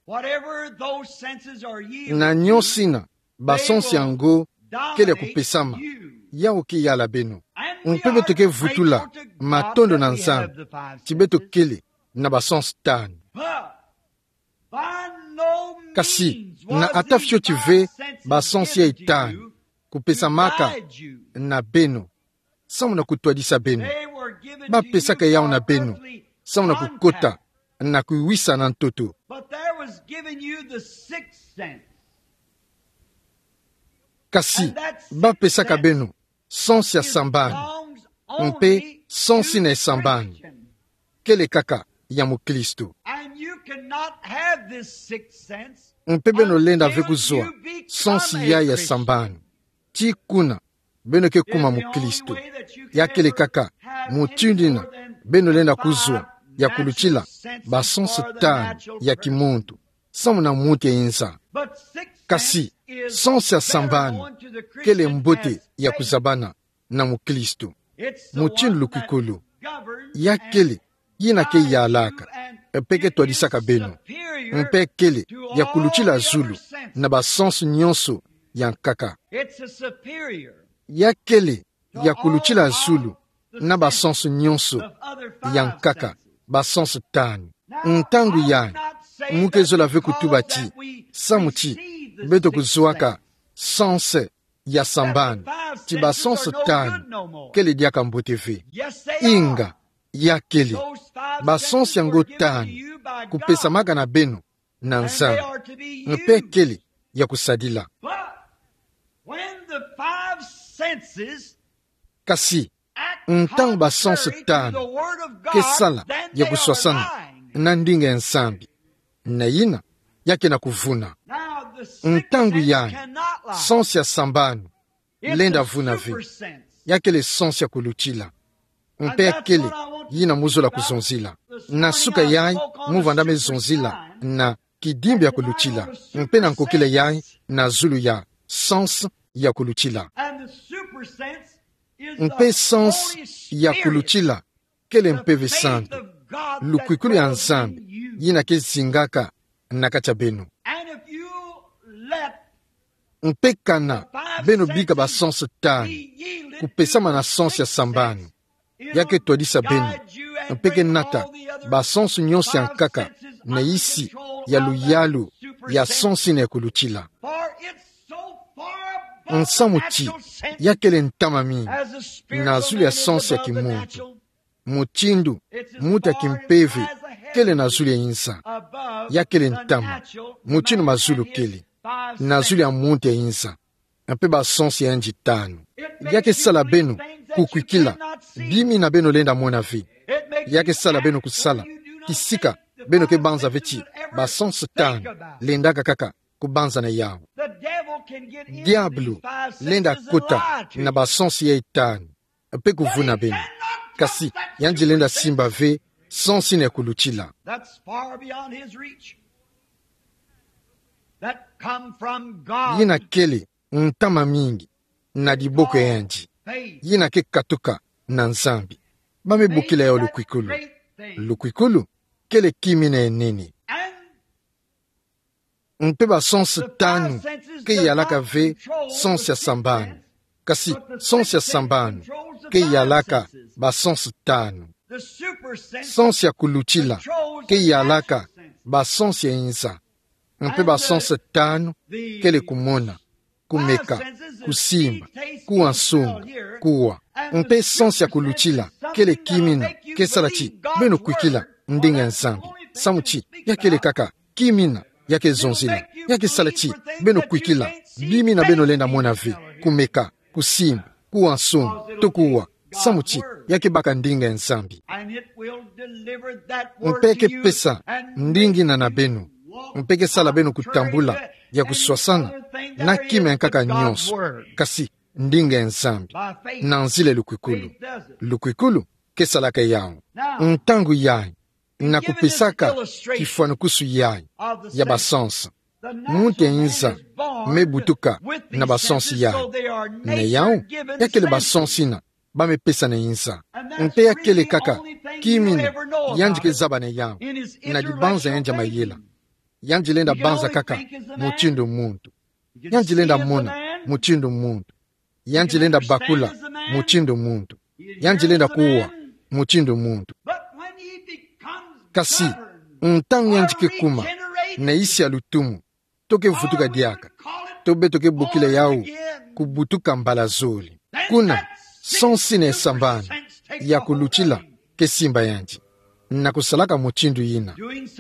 Na nyonso yina ba sens yango kele ya kupesama, yau ke yala beno. Mpe beto ke vutula matondo na Nzambi, ti beto kele na ba sens tanu. Kasi, na ata fioti ve ba sens yai tanu kupesamaka na beno, samu na kutwadisa beno. Ba pesaka yau na beno, samu na kukota na kuwisana ntoto. But there was given you the sixth sense. Kasi, bapesaka beno sens ya sambani, mpe sens ina ya sambani kele kaka ya mukristu. And you cannot have this sixth sense. Mpe beno lenda ve kuzwa sens yayi ya sambani tii kuna beno ke kuma mukristu. Ya kele kaka mutindu ina beno lenda kuzwa ya kulutila basens tanu ya kimuntu, samu na muntu ya inza. Kasi, sens ya sambani kele mbote ya kuzabana na mukristu. Mutindu lukwikulu, ya kele yina ke yalaka mpe ke twadisaka beno, mpe kele ya kulutila zulu na basens nyonso ya nkaka. Ya kele ya kulutila zulu na basens nyonso ya nkaka, basens tanu. Ntangu yayi, mu ke zola ve kutuba ti samu ti beto kuzwaka sens ya sambani, ti basens tanu kele diaka mbote ve. Inga, ya kele, basens yango tanu kupesamaka na beno na Nzambi, mpe kele ya kusadila. When the five senses Kasi, ntangu basens tanu ke sala ya kuswasana na ndinga ya Nzambi, na yina ya ke na kuvuna. Ntangu yayi, sens ya sambanu lenda vuna ve. Ya kele sens ya kulutila. Mpe ya kele yina mu zola kuzonzila. Na suka yayi, mu vanda me zonzila na kidimbu ya kulutila, mpe na nkokila yayi na zulu ya sens ya kulutila. Mpe sens ya kulutila kele Mpeve Santu, lukwikulu ya Nzambi yina ke zingaka na kati ya beno. Mpe kana beno bika basens tanu kupesama na sens ya sambanu, ya ke twadisa beno, mpe ke nata basens nyonso ya nkaka na isi ya luyalu ya sens yina ya kulutila. Nsamu ti ya kele ntama mingi na zulu ya sens ya kimuntu, mutindu muntu ya kimpeve kele na zulu ya inza. Ya kele ntama mutindu mazulu kele na zulu ya muntu ya inza. Mpe basens yandi tanu ya ke sala beno kukwikila bima yina beno lenda mona ve. Ya ke sala beno kusala kisika beno ke banza ve ti basens tanu lendaka kaka kubanzana yawu. Diabulu lenda kota na basens yayi tanu mpe kuvuna beno. Kasi yandi lenda simba ve sens yina ya kulutila. That's far beyond his reach. That come from God. Yina kele ntama mingi na diboko ya yandi, yina ke katuka na Nzambi. Ba me bokila yawu lukwikulu. Lukwikulu kele kima yina ya nene. Mpe basens tanu ke yalaka ve sens ya sambanu. Kasi sens ya sambanu ke yalaka basens tanu. Sens ya kulutila ke yalaka basens ya inza. Mpe basens tanu kele kumona, kumeka, kusimba, kuwa nsunga, kuwa. Mpe sens ya kulutila kele kima yina ke sala ti beno kwikila ndinga ya Nzambi. Samu ti ya kele kaka kima yina ya ke zonzila. Ya ke sala ti beno kwikila bima yina beno lenda mona ve, kumeka, kusimba, kuwa nsunga, to kuwa. Samu ti ya ke baka ndinga ya Nzambi. Mpe ke pesa ndinga yina na beno. Mpe ke sala beno kutambula ya kuswasana na kima ya nkaka nyonso, kasi ndinga ya Nzambi, na nzila ya lukwikulu. Lukwikulu ke salaka yawu. Ntangu yayi, na kupesaka kifwanukusu yayi ya basens, muntu ya inza me butuka na basens yayi. Na yawu, ya kele basens yina ba me pesa na inza. Mpe ya kele kaka kima yina yandi ke zaba na yawu na dibanza ya yandi ya mayela. Yandi lenda banza kaka mutindu muntu. Yandi lenda mona mutindu muntu. Yandi lenda bakula mutindu muntu. Yandi lenda kuwa mutindu muntu. Kasi ntangu yandi ke kuma na isi ya lutumu, to ke vutuka diaka, to beto ke bokila yawu kubutuka mbala zole. Kuna sens yina ya sambanu ya kulutila ke simba yandi. na kusalaka mutindu yina.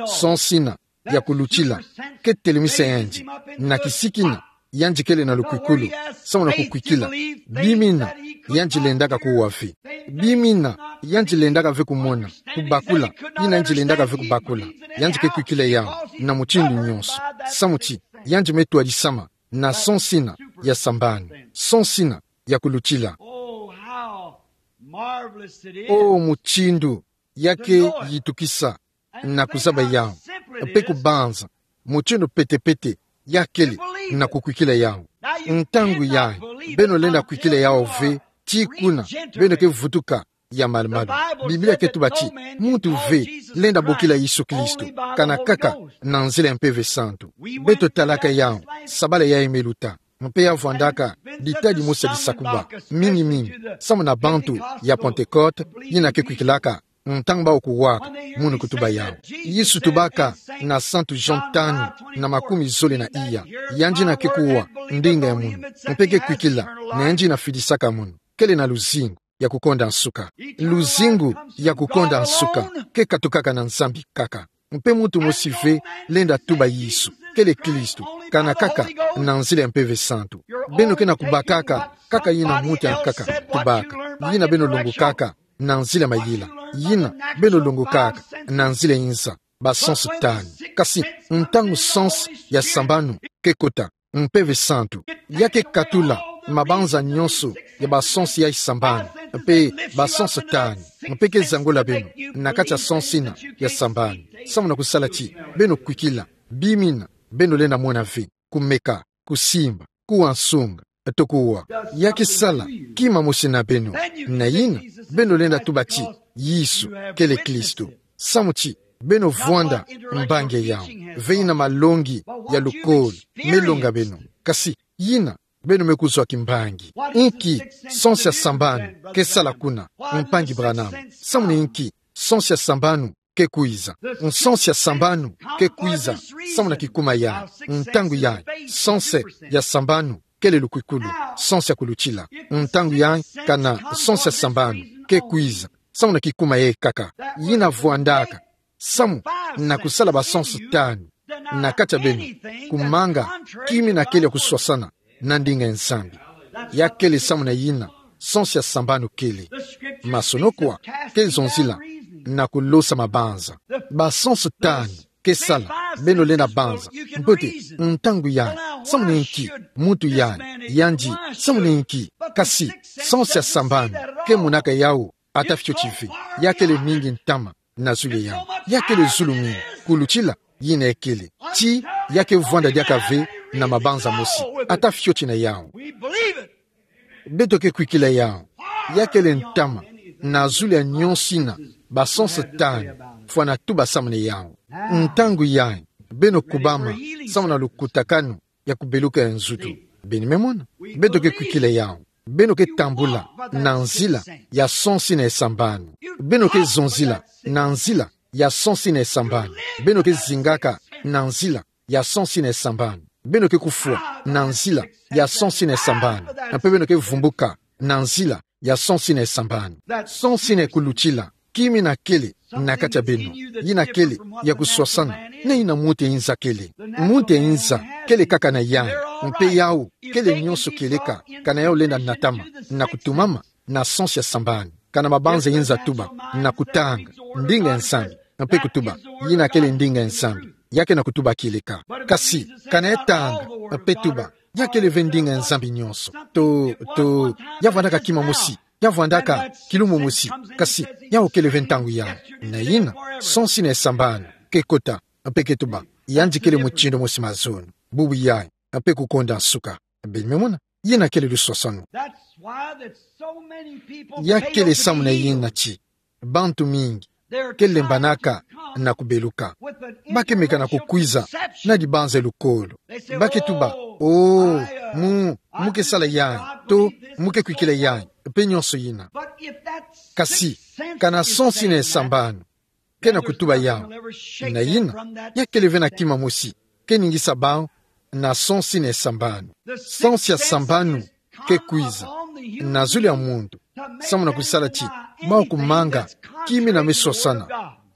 Sens yina ya kulutila ke telemisa yandi na kisiki yina, yandi kele na lukwikulu, samu na kukwikila. Bima yina, yandi lendaka kuwa ve. Bima yina, yandi lendaka ve kumona, kubakula, yina yandi lendaka ve kubakula. Yandi ke kwikila yawu na mutindu nyonso. Samu ti, yandi me twadisama na sens yina ya sambanu, sens yina ya kulutila. Oh, how marvelous it is. O mutindu ya ke yitukisa na kuzaba yawu, mpe kubanza mutindu pete-pete ya kele na kukwikila yawu. Ntangu yayi, beno lenda kwikila yawu ve, ti kuna beno ke vutuka ya malu-malu. Biblia ke tuba ti muntu ve lenda bokila Yesu Kristo, kana kaka na nzila ya Mpeve Santu. Beto talaka yawu sabala yayi me luta, mpe ya vwandaka ditadi mosi ya disakuba mingi-mingi, samu na bantu ya Pentecote, yina ke kwikilaka ntangu bawu kuwaka munu kutuba yawu. Yesu tubaka na Santu Jean tanu na makumi zole na iya, yandi yina ke kuwa ndinga ya munu, mpe ke kwikila, na yandi yina fidisaka munu, kele na luzingu ya kukonda nsuka. Luzingu ya kukonda nsuka ke katukaka na Nzambi kaka. Mpe muntu mosi ve lenda tuba Yesu kele Kristo, kana kaka na nzila ya Mpeve Santu. Beno ke na kubakaka kaka yina muntu ya nkaka tubaka, yina beno longokaka na nzila ya mayela, yina beno longokaka na nzila ya inza, ba sens tanu. Kasi ntangu sens ya sambanu ke kota, Mpeve Santu ya ke katula mabanza nyonso ya ba sens ya sambanu, mpe ba sens tanu, mpe ke zangola beno na kati ya sens yina ya sambanu, samu na kusala ti beno kwikila bima yina beno lenda mona ve, kumeka, kusimba, kuwa nsunga, to kuwa. Ya ke sala kima mosi na beno, na yina beno lenda tuba ti Yesu kele Kristo. Samu ti beno vwanda mbangi ya yawu, ve yina malongi ya lukolo me longa beno. Kasi yina beno me kuzwa kimbangi. Inki sens ya sambanu ke sala kuna, mpangi Branham? Samu na inki sens ya sambanu ke kwiza? Sens ya sambanu ke kwiza samu na kikuma yayi. Ntangu yayi, sens ya sambanu kele lukwikulu, sens ya kulutila. Ntangu yayi, kana sens ya sambanu ke kwiza samu na kikuma yayi kaka, yina vwandaka samu na kusala ba sens tanu na kati ya beno, kumanga kima yina kele ya kuswasana na ndinga ya Nzambi. Ya kele samu na yina sens ya sambanu kele. Masono kwa ke zonzila na kulosa mabanza. Ba sens tanu ke sala beno lenda banza mbote ntangu yayi, samu na inki muntu yayi, yandi, samu na inki. Kasi sens ya sambanu ke monaka yawu ata fioti ve. Ya kele mingi ntama na zulu ya yawu. Ya kele zulu mingi kulutila yina ya kele. Ti ya ke vwanda diaka ve na mabanza mosi ata fioti na yawu. We believe it. Beto ke kwikila yawu. Ya kele ntama na zulu ya nyonso yina ba sens tanu fwana tuba samu na yawu. Ntangu yayi, beno kubama samu na lukutakanu ya kubeluka ya nzutu. Beno me mona? Beto ke kwikila yawu. Beno ke tambula na nzila ya sens yina ya sambanu. Beno ke zonzila na nzila ya sens yina ya sambanu. Beno ke zingaka na nzila ya sens yina ya sambanu. Beno ke kufwa na nzila ya sens yina ya sambanu. Mpe beno ke vumbuka na nzila ya sens yina ya sambanu. Sens yina ya kulutila kima yina kele na kati ya beno, yina kele ya kuswasana na yina muntu ya inza kele. Muntu ya inza kele kaka na yayi, mpe yawu kele nyonso kieleka, kana yawu lenda natama na kutumama na sens ya sambanu, kana mabanza ya inza tuba, na kutanga ndinga ya Nzambi, mpe kutuba yina kele ndinga ya Nzambi. Ya ke na kutuba kieleka. Kasi kana ya tanga mpe tuba ya kele ve ndinga ya Nzambi nyonso, to, to, ya vwandaka kima mosi, ya vwandaka kilumbu mosi. Kasi yawu kele ve ntangu yayi. Na yina sens yina ya sambanu ke kota mpe ke tuba, yandi kele mutindu mosi mazono, bubu yayi, mpe kukonda nsuka. Beno me mona? Yina kele luswaswanu. That's why that so many people Ya fail kele to samu na be healed. Yina ti bantu mingi They're ke trying lembanaka to come na kubeluka. with an Ba ke mekana intellectual kukwiza conception. na dibanza ya lukolo. They say, Ba ke tuba, "Oh, oh, I, uh, mu, I mu ke sala believe yayi, God, to, believe this, mu ke kwikila yayi, mpe nyonso yina." But if that Kasi sixth sense kana is sens yina ya saying that, sambanu ke na kutuba yawu, na yina ya kele ve na kima mosi ke ningisa bawu na sens yina ya sambanu. Sens ya sambanu ke kwiza na zulu ya muntu samu na kusala ti bawu kumanga kima yina me swasana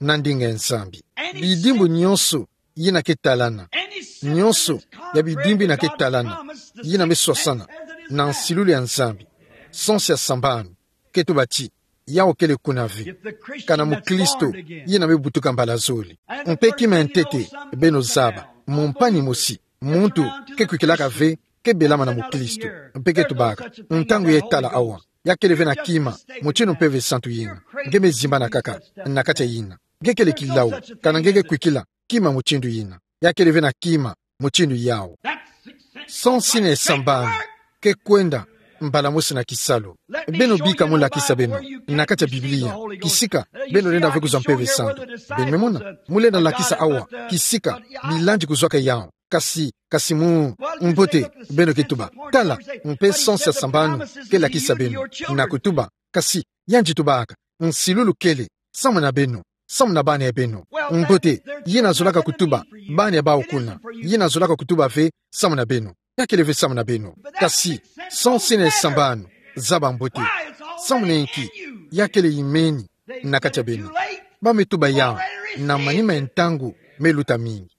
na ndinga ya Nzambi. Bidimbu nyonso yina ke talana, nyonso ya bidimbu yina ke talana, yina me swasana na nsilulu ya Nzambi, sansu ya sambanu, ke tuba ti yau kele kuna ve. Kana mukristo yina me butuka mbala zole. Mpe kima ya ntete, beno zaba, mu mpani mosi, muntu ke kwikilaka ve, ke belama na mukristo, mpe ke tubaka: Ntangu ye tala awa, ya kele ve na kima mutindu mpeve santu yina. Nge me zimbana kaka na kati ya yina. Nge kele kilau, kana nge ke kwikila kima mutindu yina. Ya kele ve na kima mutindu yau. Sansu yina ya sambanu ke kwenda mbala mosi na kisalu. Beno bika mu lakisa beno na kati ya Biblia kisika beno lenda ve kuzwa mpeve santu. Beno me mona, mu lenda lakisa awa kisika bilandi kuzwaka yau. Kasi, kasi mu mbote, beno ke tuba: Tala, mpe sansu ya sambanu ke lakisa beno, na kutuba: Kasi, yandi tubaka: Nsilulu kele samu na beno, samu na bana ya beno. Mbote, yina zolaka kutuba bana ya bawu kuna, yina zolaka kutuba ve samu na beno. Ya kele ve samu na beno. Kasi sansu yina ya sambanu, zaba mbote. Samu na inki? Ya kele imeni na kati ya beno. Ba me tuba yau na manima ya ntangu me luta mingi.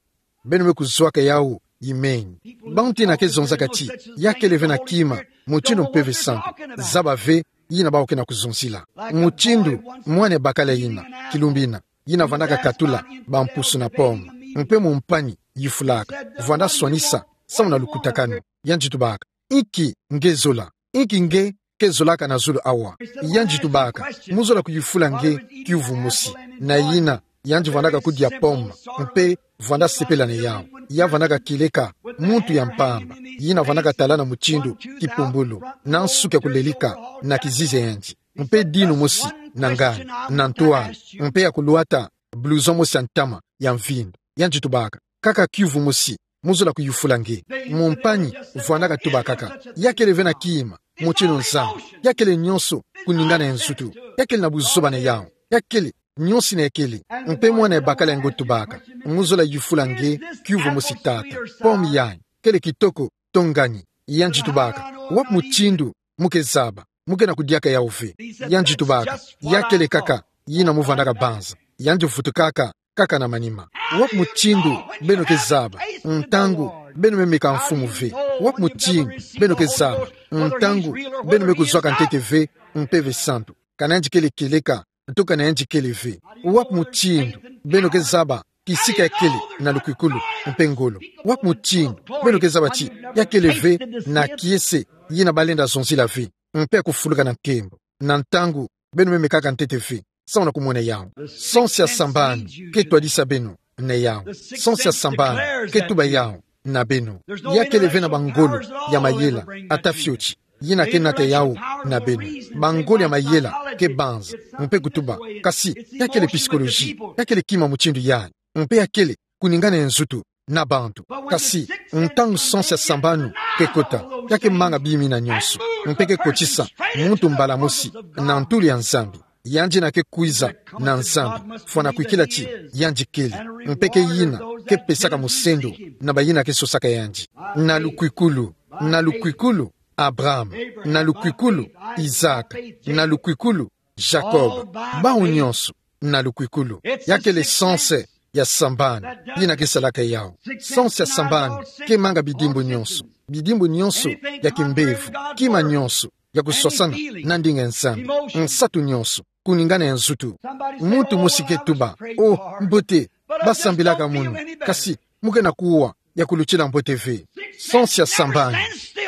Beno me kuzwaka yau imeni. Bantu yina ke zonzaka ti ya kele ve na kima mutindu mpeve santu, zaba ve yina bawu ke na kuzonzila. Mutindu mwana ya bakala yina, kilumbu yina, yina vandaka katula bampusu na pomme, mpe mu mpani yufulaka, vwanda swanisa samu na lukutakanu. Yandi tubaka: Inki nge zola? Inki nge ke zolaka na zulu awa? Yandi tubaka: Mu zola kuyufula nge kiuvu mosi. Na yina, yandi vandaka kudia pomme, mpe vwanda sepela na yau. Ya vandaka kieleka muntu ya mpamba, yina vandaka talana mutindu kipumbulu, na nsuki ya kulelika na kizizi ya yandi, mpe dinu mosi na ngani, na ntwala, mpe ya kulwata blouson mosi ya ntama ya mvindu. Yandi tubaka: Kaka kiuvu mosi, mu zola kuyufula nge. Mu mpani, vwandaka tuba kaka: Ya kele ve na kima mutindu Nzambi. Ya kele nyonso kuningana ya nzutu. Ya kele na buzoba na yau. Ya kele nyonso yina ya kele. Mpe mwana ya bakala yango tubaka: Mu zola yufula nge kiuvu mosi, tata. Pomme yayi kele kitoko to ngani? Yandi tubaka: Wapi mutindu mu ke zaba? Mu ke na kudiaka yau ve. Yandi tubaka: Ya kele kaka yina mu vandaka banza. Yandi vutukaka kaka na manima. Wapi mutindu beno ke zaba ntangu beno me meka mfumu ve? Wapi mutindu beno ke zaba ntangu beno me kuzwaka ntete ve mpeve santu, kana yandi kele kieleka to kana yandi kele ve? Wapi mutindu beno ke zaba kisika ya kele na lukwikulu mpe ngolo? Wapi mutindu beno ke zaba ti ya kele ve na kiese yina ba lenda zonzila ve, mpe ya kufuluka na nkembo, na ntangu beno me mekaka ntete ve samu na kumona yau? Sansu ya sambanu ke twadisa beno na yau. Sansu ya sambanu ke tuba yau na beno. Ya kele ve na bangolo ya mayela, ata fioti, yina ke nata yau na beno. Bangolo ya mayela ke banza mpe kutuba: Kasi ya kele psychologie, ya kele kima mutindu yayi, mpe ya kele kuningana ya nzutu na bantu. Kasi ntangu sansu ya sambanu ke kota, ya ke manga bima yina nyonso, mpe ke kotisa muntu mbala mosi na ntulu ya Nzambi. Yandi yina ke kwiza na Nzambi, fwana kwikila ti yandi kele, mpe ke yina ke pesaka musendo na bayina ke sosaka yandi. Na lukwikulu, na lukwikulu, Abraham, na lukwikulu, Isaac, na lukwikulu, Jacob, bawu nyonso, na lukwikulu. Ya kele sansu ya sambanu yina ke salaka yau. Sansu ya sambanu ke manga bidimbu nyonso, bidimbu nyonso ya kimbevo, kima nyonso ya kuswasana na ndinga ya Nzambi, nsatu nyonso, kuningana ya nzutu. Muntu mosi ke tuba: Oh, mbote, ba sambilaka munu, kasi mu ke na kuwa ya kulutila mbote ve. Sansu ya sambanu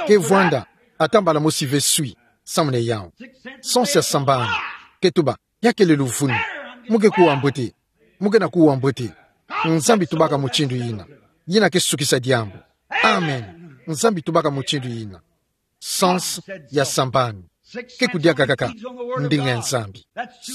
ke vwanda ata mbala mosi ve swi samu na yau. Sansu ya sambanu ke tuba: Ya kele luvunu. Mu ke kuwa mbote. Mu ke na kuwa mbote. Nzambi tubaka mutindu yina. Yina ke sukisa diambu. Amen. Nzambi tubaka mutindu yina. Sansu ya sambanu ke kudiaka kaka ndinga ya Nzambi.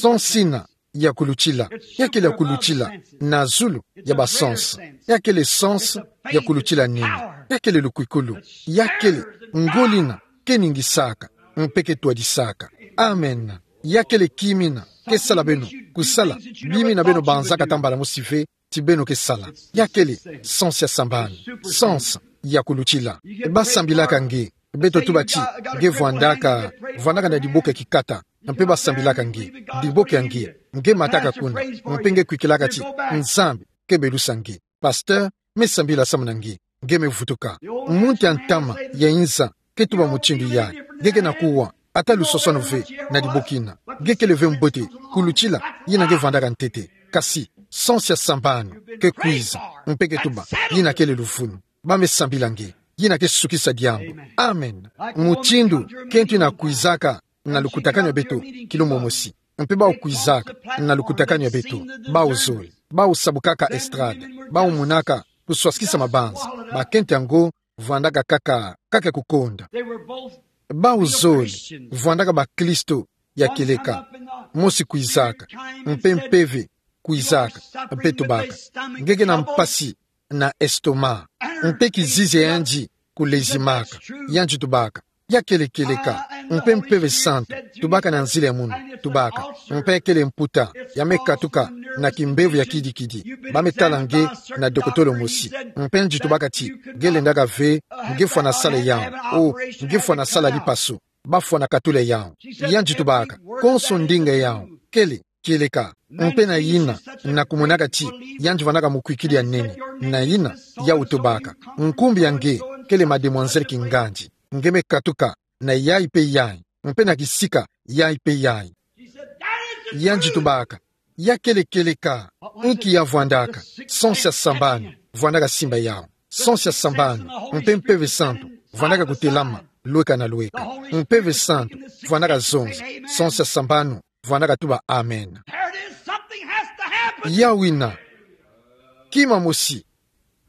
Sansu yina ya kulutila, ya kele ya kulutila na zulu ya basansu. Ya kele sansu ya kulutila nini. Ya kele lukwikulu. Ya kele ngolo yina ke ningisaka mpe ke twadisaka. Amen. Ya kele kima yina ke sala beno kusala bima yina beno banzaka ata mbala mosi ve ti beno ke sala. Ya kele sansu ya sambanu, sansu ya kulutila. Ba sambilaka nge, beto tuba ti nge vwandaka, vwandaka na diboke kikata. mpe basambilaka nge, diboki ya nge, nge mataka kuna, mpe nge kwikilaka ti, Nzambi, ke belusa nge. Pasteur, me sambila samu na nge, nge me vutuka. Muntu ya ntama, ya inza, ke tuba mutindu yayi, nge ke na kuwa, ata lusoswanu ve, na dibokina. Nge kele ve mbote, kulutila, yina nge vwandaka ntete. Kasi, sens ya sambanu, ke kwiza, mpe ke tuba, yina kele luvunu. Ba me sambila nge, yina ke sukisa diambu. Amen. Mutindu, ke ntu ina kwizaka, na lukutakanu ya beto, kilumbu mosi. Mpe bawu kwizaka, na lukutakanu ya beto, bawu zole, bawu sabukaka estrade, bawu monaka, kuswasikisa mabanza, bakento yango, vwandaka kaka, kaka kukonda. Bawu zole, vwandaka bakristo, ya kieleka. Mosi kwizaka, mpe mpeve, kwizaka, mpe tubaka. Nge ke na mpasi, na estomac. Mpe kizizi ya yandi, kulezimaka. Yandi tubaka. Ya kele kieleka, mpe Mpeve Santu, tubaka na nzila ya munu, tubaka. Mpe kele mputa, ya me katuka, na kimbevo ya kidikidi. Ba me tala nge, na dokotolo mosi. Mpe yandi tubaka ti, nge lendaka ve, nge fwana sala yawu. O, nge fwana sala lipaso. Ba fwana katula yawu. Yandi tubaka, konso ndinga yawu, kele, kieleka. Mpe na yina, na kumonaka ti, yandi vwandaka mukwikidi ya nene. Na yina, yawu tubaka. Nkumbu ya nge, kele Mademwazele Kingandi. Nge me katuka, na yayi mpe yayi. Mpe na kisika, yayi mpe yayi. Yandi tubaka. Ya kele kieleka. Inki ya vwandaka. Sens ya sambanu. Vwandaka simba yawu. Sens ya sambanu. Mpe Mpeve Santu. Vwandaka kutelama. Lweka na lweka. Mpeve Santu. Vwandaka zonza. Sens ya sambanu. Vwandaka tuba amen. There it is. Something has to happen. Yawu ina. Kima mosi.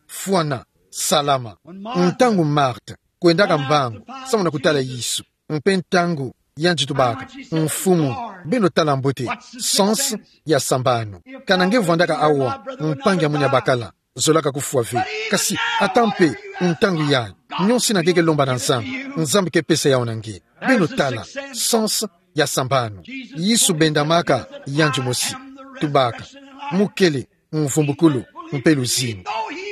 Fwana. Salama. Ntangu Marthe. Kwendaka mbangu. Samu na kutala Yesu. Mpe ntangu. Yandi tubaka. Mfumu. Beno tala mbote. Sens. Ya sambanu. Kana nge vwandaka awa. Mpangi ya munu ya bakala. Zolaka kufwa ve. Kasi, ata mpe, ntangu yayi. Nionso ina nge ke lomba na Nzambi. Nzambi ke pesa yawu na nge. Beno tala. Sens ya sambanu. Yesu bendamaka, yandi mosi. Tubaka. Mukele, mvumbukulu, mpe luzingu.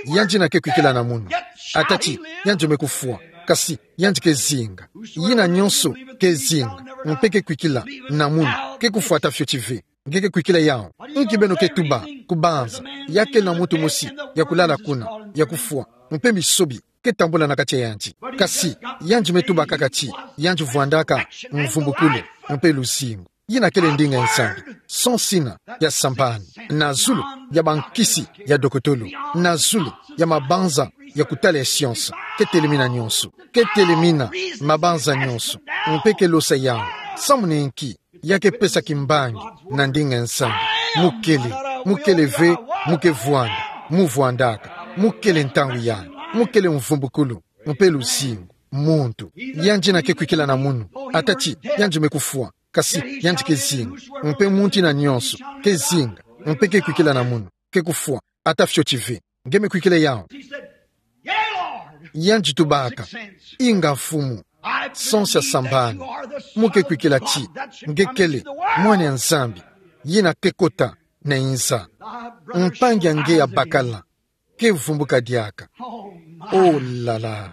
Yandi ina ke kwikila na munu. Ata ti, yandi me kufwa. Kasi, yandi ke zinga. Yina nionso, ke zinga. Mpe ke kwikila, na munu. Ke kufwa ata fioti ve. Nge ke kwikila yawu. Nki beno ke tuba, kubanza. Ya kele na muntu mosi, ya kulala kuna, ya kufwa. Mpe misobi, ke tambula na kati ya yandi. Kasi, yandi me tuba kaka ti, yandi vwandaka, mvumbukulu, mpe luzingu. Yina kele ndinga ya Nzambi. Sens ina, ya sambanu. Na zulu, ya bankisi, ya dokotolo. Na zulu, ya mabanza, ya kutala ya science. Ke telemina nionso. Ke telemina, mabanza nionso. Mpe ke losa yawu. Samu na inki, ya ke pesa kimbangi, na ndinga ya Nzambi. Mukele, mukele ve, mu ke vwanda, mu vwandaka, mukele ntangu yayi, mukele mvumbukulu, mpe luzingu, muntu. Yandi ina ke kwikila na munu, ata ti, yandi me kufwa, kasi, yandi ke zinga, mpe muntu ina nionso, ke zinga, mpe ke kwikila na munu, ke kufwa, ata fioti ve. Nge me kwikila yawu. Yandi tubaka. Inga Mfumu. Sens ya sambanu. Mu ke kwikila ti. Nge kele. Mwana ya Nzambi. Yina ke kota. Na inza. Mpangi ya nge ya bakala. Ke vumbuka diaka. Oh la la.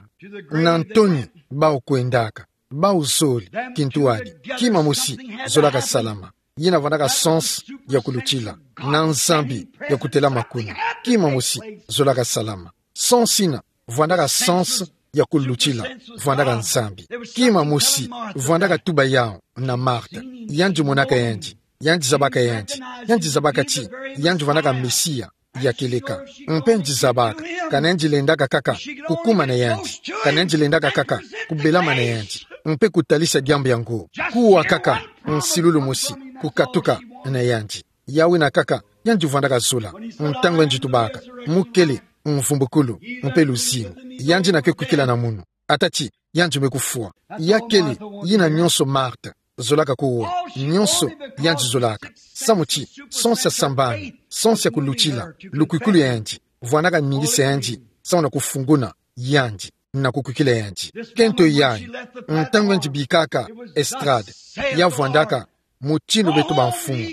Na ntoni. Bawu kwendaka. Bawu zole, kintwadi, kima mosi, zolaka salama. Yina vwandaka sens ya kulutila. Na Nzambi ya kutelama kuna. Kima mosi, zolaka salama. Sens ina, vwandaka sens ya kulutila, vwandaka Nzambi. Kima mosi, vwandaka tuba yawu, na Marthe. Yandi monaka yandi, yandi zabaka yandi, yandi zabaka ti, yandi vwandaka Mesia ya kieleka. Mpe yandi zabaka, kana yandi lendaka kaka, kukuma na yandi. Kana yandi lendaka kaka, kubelama na yandi. Mpe kutalisa diambu yango. Kuwa kaka, nsilulu mosi, kukatuka na yandi. Yawu ina kaka, yandi vwandaka zola. Ntangu yandi tubaka, mukele, mvumbukulu, mpe luzingu. Yandi ina ke kwikila na munu. Ata ti, yandi me kufwa. Ya kele, yina nionso Marthe. Zolaka kuwa, nionso, yandi zolaka. Samu ti, sens ya sambanu, sens ya kulutila, lukwikulu ya yandi, vwandaka ningisa yandi, samu na kufunguna, yandi, na kukwikila yandi. Kento yayi, ntangu yandi bikaka, estrade, ya vwandaka, mutindu beto ba mfumu.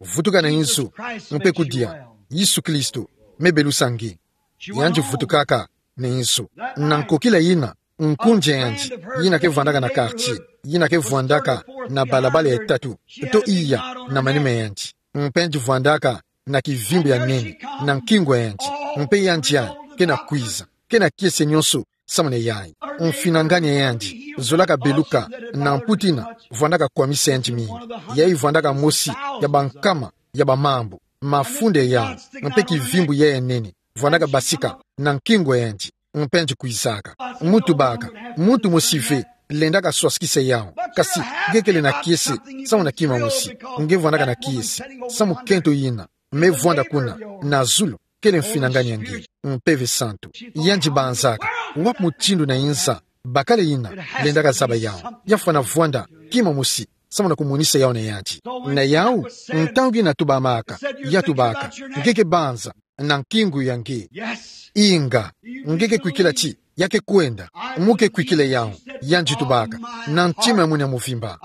Vutuka na inzo, mpe kudia, Yesu Kristo, me belusa nge. Yandi vutukaka, na inzo. Na nkokila yina, Nkunzi yandi, yina ke vwandaka na quartier, yina ke vwandaka na balabala ya tatu, to iya na manima yandi. Mpe yandi vwandaka na kivimbu ya nene na nkingo ya yandi. Mpe yandi yayi ke na kwiza, ke na kiese nyonso samuna yayi. Mfinangani ya yandi zolaka beluka, na mputa yina vwandaka kwamisa yandi mingi. Yayi vwandaka mosi ya bankama ya bamambu, mafunda ya yawu, mpe kivimbu yayi ya nene vwandaka basika na nkingo ya yandi. Mpe yandi kwizaka. Mu tubaka, muntu mosi ve lendaka swasukisa yawu. Kasi nge kele na kiese samuna kima mosi. Nge vwandaka na kiese sa mukento yina me vwanda kuna na zulu, kele mfinangani ya nge. Mpeve santu. Yandi banzaka: Wapi mutindu na inza bakala yina lendaka zaba yawu? Ya fwana vwanda kima mosi samuna kumonisa yawu na yandi. Na yawu, ntangu yina tubamaka, ya tubaka: Nge ke banza na nkingo ya nge. Inga, nge ke kwikila ti ya ke kwenda. Mu ke kwikila yawu? Yandi tubaka: Na ntima ya munu ya muvimba.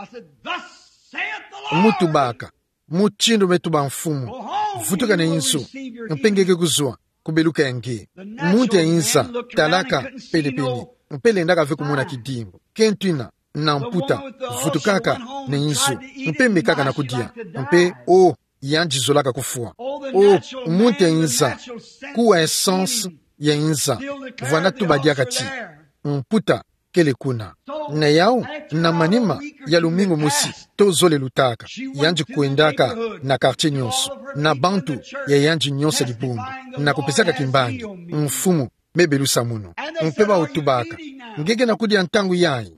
Mu tubaka: Mutindu me tuba Mfumu, vutuka na inzo, mpe nge ke kuzwa ku beluka ya nge. Muntu ya inza talaka penepene, mpe lendaka ve kumona kidimbu. Kento yina na mputa vutukaka na inzo, mpe mekaka na kudia, mpe, oh, yandi zolaka kufwa. Oh, muntu ya inza, kuwa essence ya inza vwanda tuba diaka ti mputa kele kuna. Na yawu, na manima ya lumingu mosi to zole lutaka, yandi kwendaka na quartier nyonso, na bantu ya yandi nyonso ya dibundu, na kupesaka kimbangi: Mfumu, me belusa munu. Mpe bawu tubaka: Nge ke na kudia ntangu yayi?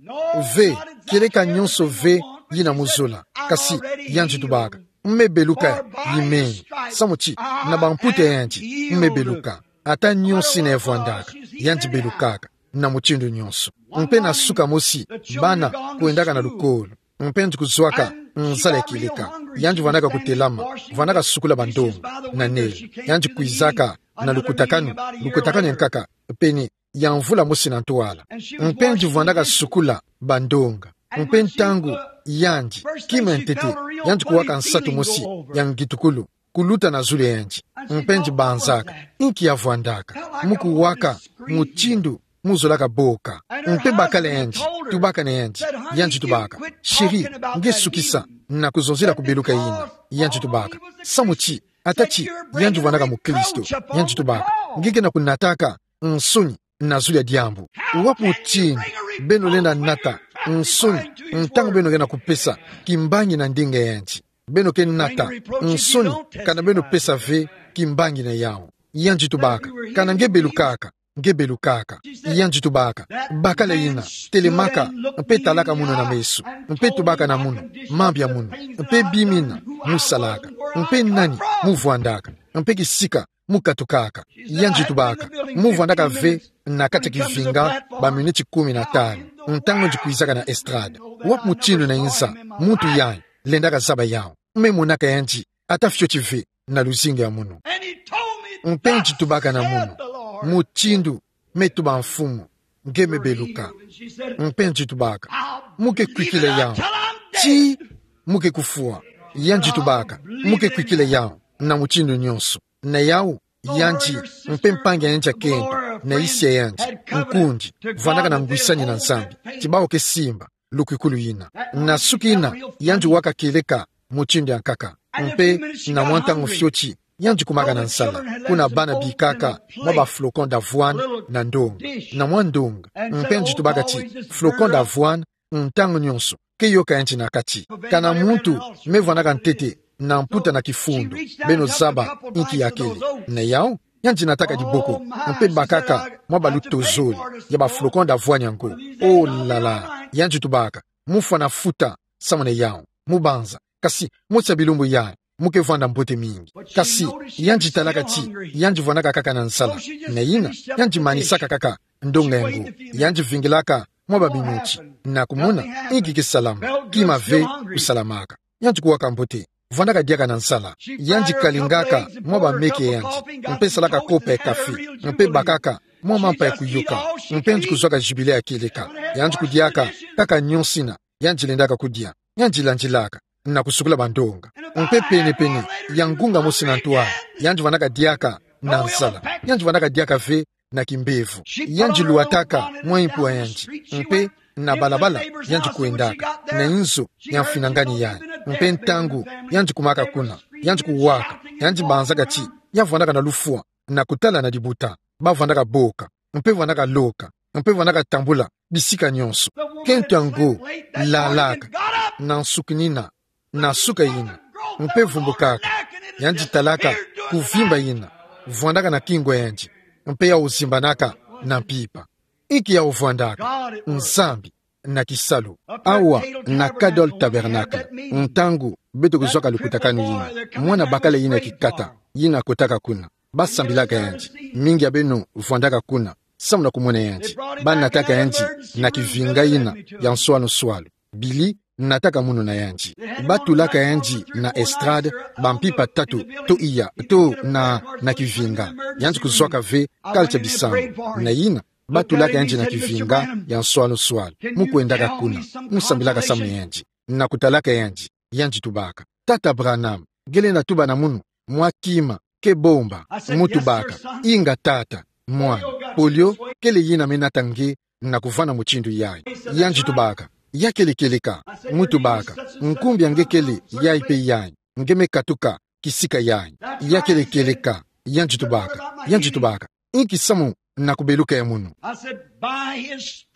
Ve, kieleka nyonso ve yina mu zola. Kasi yandi tubaka: Me beluka yimeni. Samu ti na bamputa ya yandi me beluka. Ata nyonso yina ya vwandaka, yandi belukaka na mutindu nyonso. Mpe na suka mosi, bana kwendaka na lukolo. Mpe yandi kuzwaka nzala ya kieleka. Yandi vwandaka kutelama, vwandaka sukula bandonga na Nil. Yandi kwizaka na lukutakanu, lukutakanu ya nkaka pene ya mvula mosi na ntwala. Mpe yandi vwandaka sukula bandonga. Mpe ntangu yandi, kima ya ntete, yandi kuwaka nsatu mosi ya ngitukulu kuluta na zulu ya yandi. Mpe yandi banzaka: Inki ya vwandaka? Mu kuwaka mutindu mu zolaka boka. Mpe bakala yandi, tubaka na yandi. Yandi tubaka: Chérie, nge sukisa na kuzonzela ku beluka yina. Yandi tubaka: Samu ti, ata ti yandi vwandaka mukristo, yandi tubaka: Nge ke na kunataka nsoni na zulu ya diambu. Wapi mutindu beno lenda nata nsoni ntangu beno ke na kupesa kimbangi na ndinga ya yandi? Beno ke nata nsoni kana beno pesa ve kimbangi na yawu. Yandi tubaka: Kana nge belukaka, nge belukaka. Yandi tubaka: Bakala yina, telemaka, mpe talaka munu na meso, mpe tubaka na munu mambu ya munu, mpe bima yina mu salaka, mpe nani mu vwandaka, mpe kisika mu katukaka. Yandi tubaka: Mu vwandaka ve na kati ya kivinga ba miniti kumi na tanu, ntangu yandi kwizaka na estrade. Wapi mutindu na inza muntu yayi lendaka zaba yawu? Me monaka yandi ata fioti ve na luzingu ya munu. Mpe yandi tubaka na munu: Mutindu me tuba Mfumu, nge me beluka. Mpe yandi tubaka: Mu ke kwikila yawu tii mu ke kufwa? Yandi tubaka: Mu ke kwikila yawu na mutindu nyonso. Na yawu, yandi mpe mpangi ya yandi ya kento na isi ya yandi, nkundi, vwandaka na ngwisani na Nzambi ti bawu ke simba lukwikulu yina. Na suka yina, yandi waka kieleka mutindu ya nkaka. Mpe na mwa ntangu fioti, yandi kumaka na nsala, kuna bana bikaka mwa ba flocons d'avoine na ndonga, na mwa ndonga. Mpe yandi tubaka ti flocons d'avoine, ntangu nyonso, ke yoka yandi na kati. Kana muntu me vwandaka ntete na mputa na kifundu, beno zaba inki ya kele. Na yawu, yandi nataka diboko, mpe bakaka mwa ba luto zole ya ba flocons d'avoine yango. Oh là là, yandi tubaka: Mu fwana futa samuna yawu. Mu banza: Kasi mosi ya bilumbu yayi, mu ke vwanda mbote mingi. Kasi yandi talaka ti yandi vwandaka kaka na nsala. Na yina, yandi manisaka kaka ndonga yango. Yandi vingilaka mwa ba miniti na kumona inki ke salama. Kima ve kusalamaka. Yandi kuwaka mbote, vwandaka diaka na nsala. Yandi kalingaka mwa ba meke ya yandi, mpe salaka kopa ya kafe, mpe bakaka mwa mampa ya kuyoka. Mpe yandi kuzwaka jubile ya kieleka. Yandi kudiaka kaka nyonso yina yandi lendaka kudia. Yandi landilaka na kusukula bandonga. Mpe penepene ya ngunga mosi na ntwala, yandi vwandaka diaka na nsala. Yandi vwandaka diaka ve na kimbevo. Yandi luataka mwa impwa yandi, mpe na balabala yandi kwendaka, na inzo ya mfinangani yayi. Mpe ntangu yandi kumaka kuna, yandi kuwaka, yandi banzaka ti ya vwandaka na lufwa na kutala na libuta, ba vwandaka boka, mpe vwandaka loka, mpe vwandaka tambula bisika nyonso. Kento yango lalaka na nsukinina, na suka yina, mpe vumbukaka, yandi talaka kuvimba yina vwandaka na kingo yandi, mpe yawu zimbanaka na mpimpa. Inki yawu vwandaka? Nzambi na kisalu. Awa na Cadol Tabernacle, ntangu beto kuzwaka lukutakanu yina, mwana bakala yina kikata yina kotaka kuna, ba sambilaka yandi. Mingi ya beno vwandaka kuna samu na kumona yandi. Ba nataka yandi na kivinga yina ya nswalu-nswalu. Billy nataka munu na yandi. Ba tulaka yandi na estrade, bampimpa tatu, to iya, to na, na kivinga. Yandi kuzwaka ve culture bisambu. Na yina, ba tulaka yandi na kivinga ya nswalu-nswalu. Mu kwendaka kuna, mu sambilaka samu na yandi, na kutalaka yandi, yandi tubaka: Tata Branham, nge lenda tuba na munu mwa kima ke bomba. Mu tubaka: Inga tata, mwana. Polio kele yina me nata nge na kuvwanda mutindu yayi. Yandi tubaka: Ya kele kieleka? Mu tubaka: Nkumbu ya nge kele yayi mpe yayi, nge me katuka kisika yayi. Ya kele kieleka? Yandi tubaka, yandi tubaka: Inki samu na kubeluka ya munu?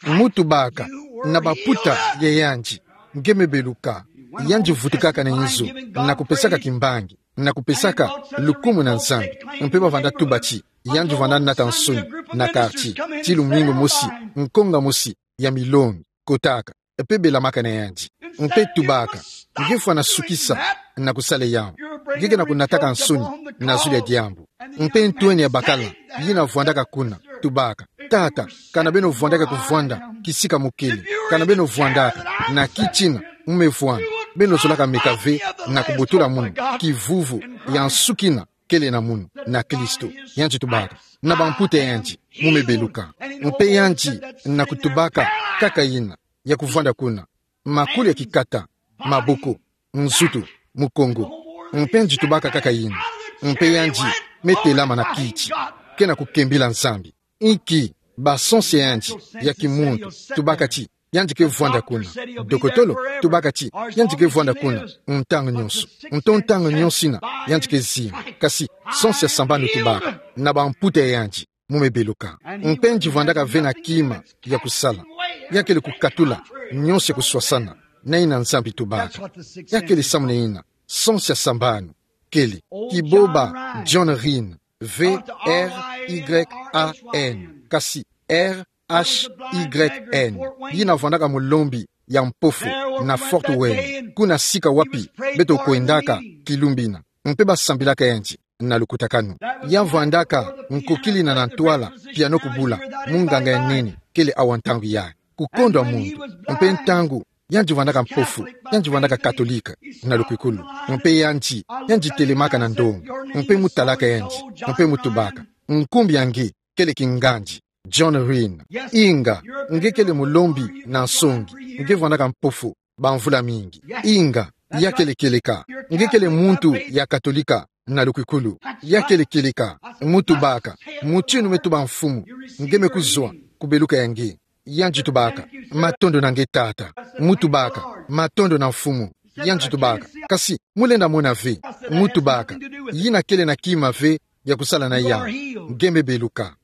Mu tubaka: Na bamputa ya yandi nge me beluka. Yandi vutukaka na inzo, na kupesaka kimbangi, na kupesaka lukumu na Nzambi. Mpe ba vwanda tuba ti yandi vwanda nata nsoni na quartier, ti lumingu mosi, nkonga mosi ya milongi kotaka, mpe belamaka na yandi. Mpe tubaka: Nge fwana sukisa na kusala yawu. Nge ke na kunataka nsoni na zulu ya diambu. Mpe ntwenia bakala yina vwandaka kuna, tubaka: Tata, kana beno vwandaka kuvwanda kisika mu kele, kana beno vwandaka na kitina mu me vwanda, beno zolaka meka ve na kubotola munu kivuvu ya nsukina kele na munu na Kristo. Yandi tubaka: Na bamputa ya yandi mu me beluka. Mpe yandi na kutubaka kaka yina ya kuvwanda kuna: makulu ya kikata, maboko, nzutu, mukongo. Mpe yandi tubaka kaka yina. Mpe yandi me telama na kiti, ke na kukembila Nzambi. Inki? Ba sens ya yandi ya kimuntu tubaka ti yandi ke vwanda kuna. Dokotolo tubaka ti yandi ke vwanda kuna ntangu nyonso. Nto ntangu nyonso yina yandi ke zimba. Kasi sens ya sambanu tubaka: Na bamputa ya yandi mu me beluka. Mpe yandi vwandaka ve na kima ya kusala. Ya kele kukatula nyonso ya kuswasana na yina Nzambi tubaka. Ya kele samu na yina sens ya sambanu kele. Kiboba John Ryan, V R Y A N, kasi R H Y N, yina vwandaka mulembi ya mpofu na Fort Wayne, kuna sika wapi beto kwendaka kilumbu yina. Mpe ba sambilaka yandi na lukutakanu. Ya vwandaka nkokilina na ntwala piano kubula, munganga ya nene kele awa ntangu yayi, kukondwa muntu. Mpe ntangu yandi vwandaka mpofu, yandi vwandaka katolika na lukwikulu. Mpe yandi, yandi telemaka na ndonga, mpe mu talaka yandi, mpe mu tubaka: Nkumbu ya nge kele kingandi John Ryan. Inga, nge kele mulembi na nsongi, nge vwandaka mpofu bamvula mingi. Inga, ya kele kieleka? Nge kele muntu ya katolika na lukwikulu. Ya kele kieleka? Mu tubaka: Mutinu me tuba mfumu, nge me kuzwa kubeluka ya nge. Yandi tubaka: Matondo na nge tata. Mu tubaka: Matondo na mfumu. Yandi tubaka: Kasi mu lenda mona ve? Mu tubaka: Yina kele na kima ve ya kusala na yawu. Nge me beluka.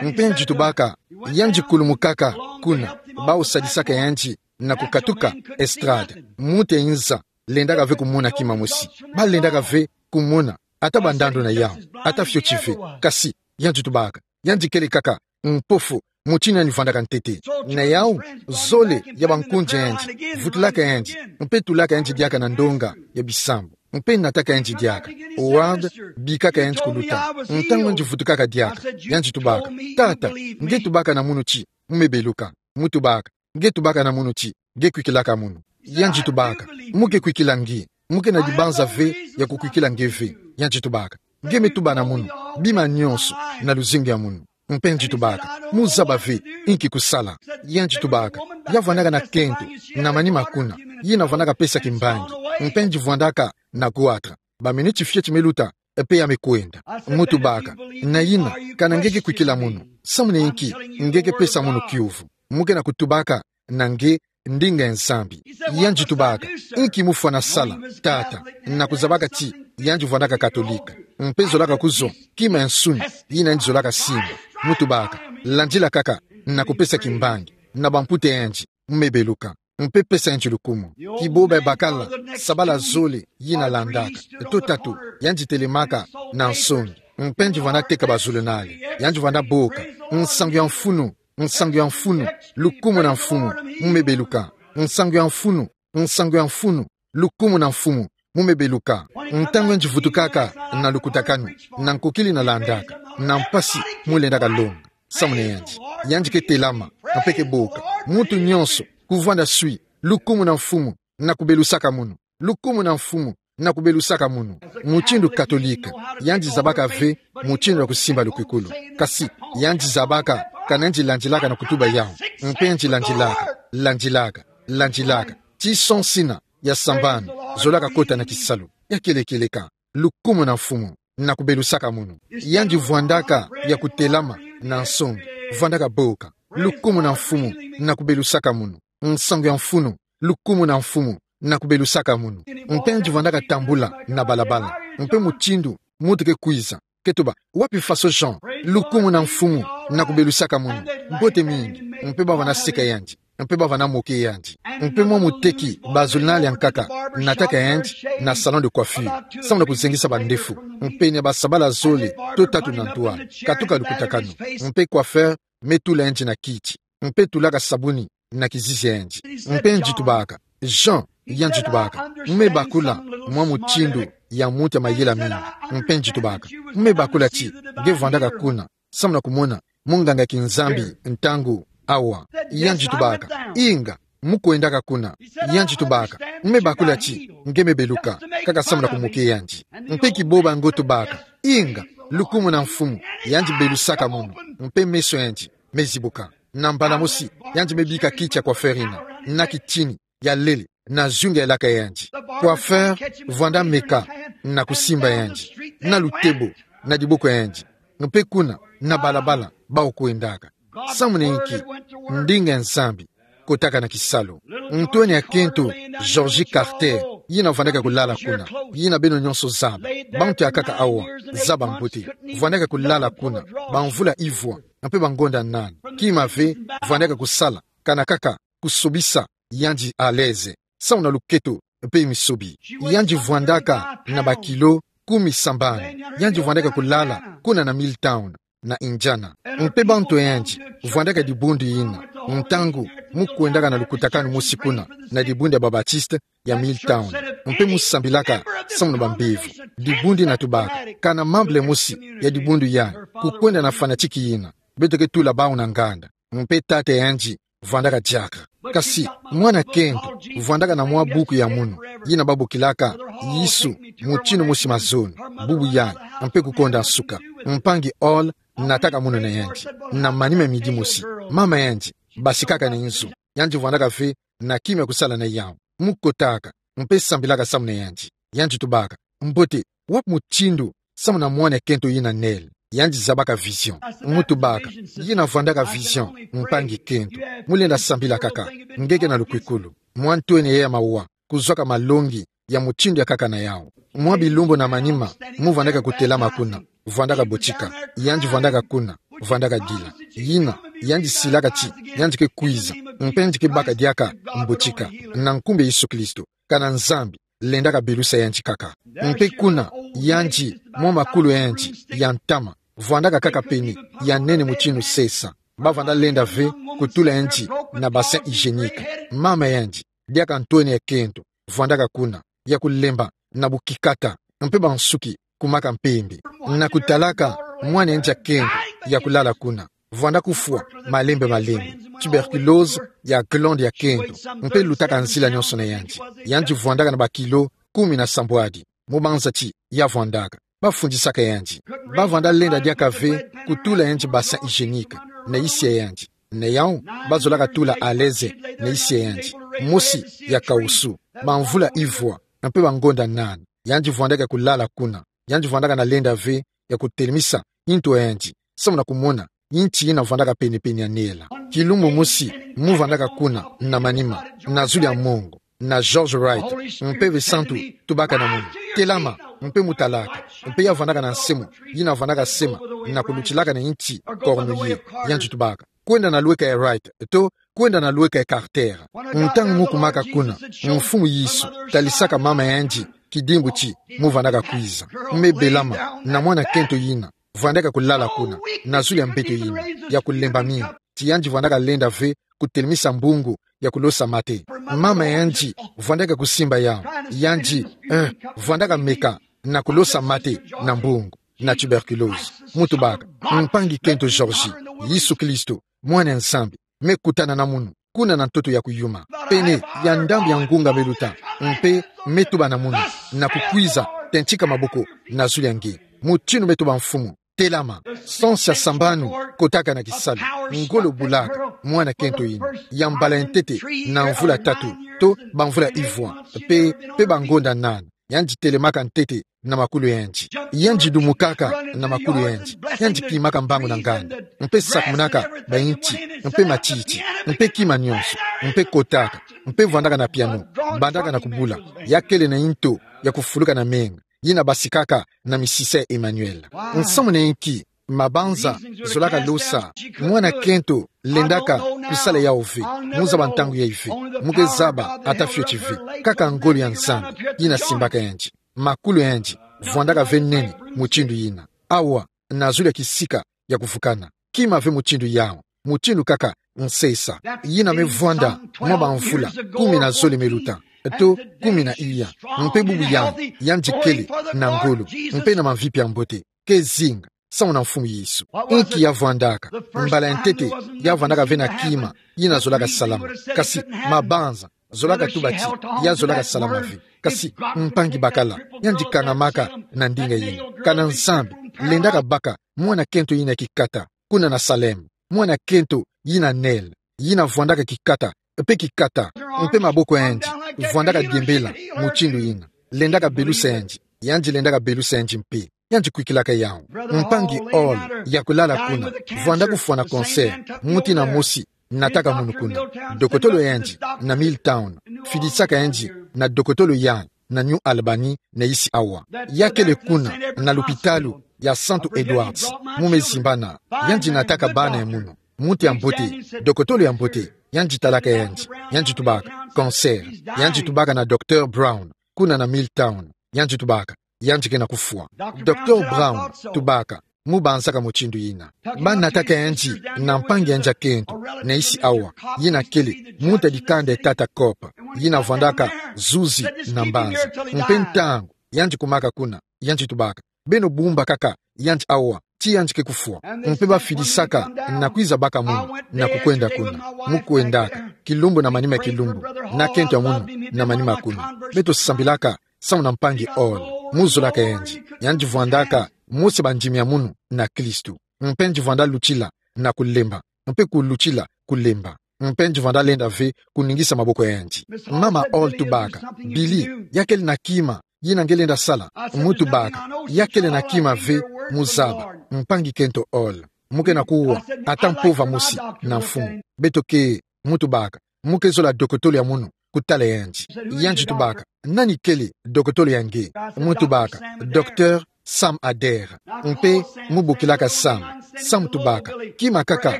Mpe yandi tubaka: Yandi kulumukaka kuna, bawu sadisaka yandi na kukatuka estrade. Muntu ya inza lendaka ve kumona kima mosi. Ba lendaka ve kumona ata bandandu na yawu, ata fioti ve. Kasi yandi tubaka: Yandi kele kaka mpofu, mutinu yandi vwandaka ntete. Na yawu, zole ya bankunzi ya yandi vutulaka yandi, mpe tulaka yandi diaka na ndonga ya bisambu, mpe nataka yandi diaka. Howard bikaka yandi kuluta. Ntangu yandi vutukaka diaka, yandi tubaka: Tata, nge tubaka na munu ti mu me beluka. Mu tubaka: Nge tubaka na munu ti nge kwikilaka munu. Yandi tubaka: Mu ke kwikila nge. Mu ke na dibanza ve ya kukwikila nge ve. Yandi tubaka: Nge me tuba na munu bima nyonso na luzingu ya munu. Mpe yandi tubaka: Mu zaba ve inki kusala. Yandi tubaka: Ya vwandaka na kento na manima kuna, yina vwandaka pesa kimbangi. Mpe yandi vwandaka na goitre. Baminiti fioti me luta, pe ya me kwenda. Mu tubaka: Na yina, kana nge ke kwikila munu? Samune inki nge ke pesa munu kiuvu? Mu ke na kutubaka na nge: Ndinga Nzambi. Yandi tubaka: Inki mufwana sala, tata? Na kuzabaka ti yandi vwandaka Katolika, mpe zolaka kuzwa kima ya nsuni yina yandi zolaka simba. Mu tubaka: Landila kaka, na kupesa kimbangi na bamputa ya yandi, mu me beluka, mpe pesa yandi lukumu. Kiboba ya bakala, sabala zole yina landaka, to tatu yandi telemaka na nsongi, mpe yandi vwanda teka bazulunale, yandi vwanda boka: Nsangu ya mfunu, nsangu ya mfunu, lukumu na Mfumu, mu me beluka. Nsangu ya mfunu, nsangu ya mfunu, lukumu na Mfumu, mu me beluka. Ntangu yandi vutukaka na lukutakanu, na nkokili na landaka, na mpasi mu lendaka longa, samune yandi, yandi ke telama, mpe ke boka: Muntu nyonso, kuvwanda swi, lukumu na Mfumu, na kubelusaka munu. Lukumu na Mfumu, na kubelusaka munu. Mutindu Katolika, yandi zabaka ve mutindu ya kusimba lukwikulu. Kasi yandi zabaka kana yandi landilaka na kutuba yawu. Mpe yandi landilaka, landilaka, landilaka, ti sonsina ya sambanu zolaka kota na kisalu. Ya kieleka kieleka: Lukumu na Mfumu, na kubelusaka munu. Yandi vwandaka ya kutelama na nsongi, vwandaka boka: Lukumu na Mfumu, na kubelusaka munu. Nsangu ya mfunu, lukumu na Mfumu, na kubelusaka munu. Mpe yandi vwandaka tambula na balabala, mpe mutindu muntu ke kwiza, ke tuba: Wapi Faso Jean? Lukumu na Mfumu, na kubelusaka munu. Mbote mingi. Mpe ba vwanda seka yandi, mpe ba vwanda moke yandi. Mpe mwa muteki bazulunale ya nkaka nataka yandi na salon de coiffure, samu na kuzengisa bandefu, mpenia basabala zole to tatu na ntwala, katuka lukutakanu. Mpe coiffeur me tula yandi na kiti, mpe tulaka sabuni na kizizi ya yandi. Mpe yandi tubaka: Jean, yandi tubaka, mu me bakula mwa mutindu ya muntu ya mayela mingi. Mpe yandi tubaka: Mu me bakula ti nge vwandaka kuna, samu na kumona munganga ya kinzambi ntangu awa. Yandi tubaka: Inga, mu kwendaka kuna. Yandi tubaka: Mu me bakula ti nge me beluka, kaka samu na kumoke yandi. Mpe kiboba yango tubaka: Inga, lukumu na Mfumu, yandi belusaka munu. Mpe meso ya yandi me zibuka. Na mbala mosi, yandi me bika kiti ya coiffeur yina, na kitini ya lele, na zunga elaka ya yandi. Coiffeur vwanda meka na kusimba yandi na lutebo na diboko ya yandi. Mpe kuna, na balabala bawu kwendaka, samune inki ndinga ya Nzambi kotaka na kisalu. Ntwenia kento, Georgie Carter, yina vwandaka kulala kuna, yina beno nyonso zaba. Bantu ya nkaka awa zaba mbote. Vwandaka kulala kuna bamvula ivwa, mpe bangonda nani. Kima ve vwandaka kusala, kana kaka kusobisa yandi à l'aise, samu na luketo mpe misobi. Yandi vwandaka na bakilo kumi sambanu. Yandi vwandaka kulala kuna na Milltown, na Indiana. Mpe bantu ya yandi vwandaka dibundu yina, ntangu mu kwendaka na lukutakanu mosi kuna, na dibundu ya ba Baptiste ya Milltown, mpe mu sambilaka samu na bambevo. Dibundu yina tubaka: Kana membre mosi ya dibundu yai kukwenda na fanatiki yina, beto ke tula bawu na nganda. Mpe tata ya yandi vwandaka diaka. Kasi mwana kento vwandaka na mwa buku ya munu, yina babokilaka Yesu, mutindu mosi mazono. Bubu yai, mpe kukonda nsuka. Mpangi Hall nataka munu na yandi. Na manima midi mosi, mama ya yandi basikaka na inzo. Yandi vwandaka ve na kima ya kusala na yawu. Mu kotaka, mpe sambilaka samu na yandi. Yandi tubaka: Mbote, wapi mutindu samu na mwana kento yina Nell? Yandi zabaka vision. Mu tubaka: Yina vwandaka vision, mpangi kento. Mu lenda sambila kaka, nge ke na lukwikulu. Mwa ntwenia ya mawa, kuzwaka malongi ya mutindu ya nkaka na yawu. Mwa bilumbu na manima, mu vwandaka kutelama kuna, vwandaka botika. Yandi vwandaka kuna, vwandaka dila. Yina, yandi silaka ti yandi ke kwiza, mpe yandi ke baka diaka mbotika, na nkumbu ya Yesu Kristo. Kana Nzambi lendaka belusa yandi kaka. Mpe kuna, yandi, mwa makulu ya yandi ya ntama, vwandaka kaka pene ya nene mutindu sesa. Ba vwanda lenda ve kutula yandi na bassin hygiénique. Mama ya yandi, diaka ntwenia kento, vwandaka kuna, ya kulemba na bukikata, mpe bansuki kumaka mpembe. Na kutalaka mwana ya yandi ya kento ya kulala kuna, vwanda kufwa malembe malembe, tuberculose ya glande ya kento, mpe lutaka nzila nyonso na yandi. Yandi vwandaka na bakilo kumi na sambwadi, mu banza ti ya vwandaka. Bafundisaka yandi. Ba vwanda lenda diaka ve kutula yandi bassin hygiénique na isi ya yandi. Na yawu, bazolaka tula à l'aise na isi ya yandi. Mosi ya kawusu, bamvula ivwa, mpe bangonda nani. Yandi vwandaka kulala kuna, Yandi vwandaka na lenda ve ya kutelemisa nto yandi, samu na kumona nti yina vwandaka penepene ya nela. Kilumbu mosi, mu vwandaka kuna, na manima, na zulu ya mongo, na George Wright, mpe ve santu tubaka na munu: Telama, mpe mu talaka. Mpe ya vwandaka na nsemo, yina vwandaka sema, na kulutilaka na nti cornuier, yandi tubaka: Kwenda na lweka ya Wright, to kwenda na lweka ya Carter. Ntangu mu kumaka kuna, Mfumu Yesu talisaka mama yandi kidimbu ti mu vwandaka kwiza. Mme belama na mwana kento yina vwandaka kulala kuna, na zulu ya mbeto yina ya kulemba mingi, ti yandi vwandaka lenda ve kutelemisa mbungu ya kulosa mate. Mama yandi vwandaka kusimba yau, yandi, eh, vwandaka meka na kulosa mate na mbungu, na tuberculose. Mu tubaka: Mpangi kento George, Yesu Kristo, Mwana ya Nzambi, me kutana na munu kuna na ntoto ya kuyuma, pene ya ndambu ya ngunga me luta, mpe me tuba na munu na kukwiza, tentika maboko na zulu ya nge. Mutinu me tuba Mfumu: Telama. Sansi ya sambanu kotaka na kisalu, ngolo bulaka mwana kento yina, ya mbala ya ntete na mvula tatu, to bamvula ivwa, mpe, mpe bangonda nana, yandi telemaka ntete na makulu yandi. Yandi dumukaka na makulu yandi. Yandi kimaka mbangu na nganda, mpe sakumunaka banti, mpe matiti, mpe kima nyonso, mpe kotaka, mpe vwandaka na piano, bandaka na kubula. Ya kele na nto ya kufuluka na menga, yina basikaka na misisa ya Emmanuel. Nsamu na inki mabanza zolaka losa mwana kento lendaka kusala yau ve? Mu zaba ntangu yayi ve. Mu ke zaba ata fioti ve. Kaka ngolo ya Nzambi yina simbaka yandi. Makulu yandi vwandaka ve nene mutindu yina. Awa, na zulu ya kisika ya kuvukana, kima ve mutindu yau, mutindu kaka nsesa. Yina me vwanda mwa bamvula kumi na zole me luta, to kumi na iya. Mpe bubu yandi, yandi kele na ngolo, mpe na mamvipi ya mbote, ke zinga samu na Mfumu Yesu. Inki ya vwandaka? Mbala ya ntete, ya vwandaka ve na kima yina zolaka salama. Kasi mabanza zolaka tuba ti ya zolaka salama ve. Kasi mpangi bakala, yandi kangamaka na ndinga yina. Kana Nzambi lendaka baka mwana kento yina kikata kuna na Salem, mwana kento yina nele, yina vwandaka kikata, mpe kikata, mpe maboko yandi vwandaka diembela mutindu yina. Lendaka belusa yandi, yandi lendaka belusa yandi mpe. Yandi kwikilaka yau. Mpangi Hall, ya kulala kuna, vwanda kufwa na cancer, muti na mosi nataka munu kuna. Dokotolo yandi na Milltown fidisaka yandi na dokotolo ya na New Albany, na isi awa. Ya kele kuna na lupitalu ya Santu Edward's, mu me zimbana. Yandi nataka bana ya munu. Muntu ya mbote, dokotolo ya mbote, yandi talaka yandi, yandi tubaka cancer. Yandi tubaka na Docteur Brown kuna na Milltown, yandi tubaka yandi ke na kufwa. Docteur Brown tubaka mu banzaka mutindu yina. Banataka yandi na mpangi yandi ya kento na isi awa, yina kele muntu ya dikanda ya Tata Cope, yina vwandaka zuzi na mbanza. Mpe ntangu yandi kumaka kuna, yandi tubaka: Beno bumba kaka yandi awa ti yandi ke kufwa. Mpe bafidisaka na kwiza baka munu na kukwenda kuna. Mu kwendaka, kilumbu na manima ya kilumbu, na kento ya munu na manima kuna, beto sambilaka samu na mpangi Hall. Mu zolaka yandi, yandi vwandaka mosi ya bandimi ya munu na Kristu. Mpe yandi vwanda lutila na kulemba, mpe kulutila kulemba. Mpe yandi vwanda lenda ve kuningisa maboko ya yandi. Mama Hall tubaka: Billy, ya kele na kima yina nge lenda sala? Mu tubaka: Ya kele na kima ve, mu zaba, mpangi kento Hall. Mu ke na kuwa ata mpova mosi na mfumu. Beto ke, mu tubaka: Mu ke zola dokotolo ya munu kutala yandi. Yandi tubaka: Nani kele dokotolo ya nge? Mu tubaka: Docteur Sam Adair. Mpe mu bokilaka Sam. Sam tubaka: Kima kaka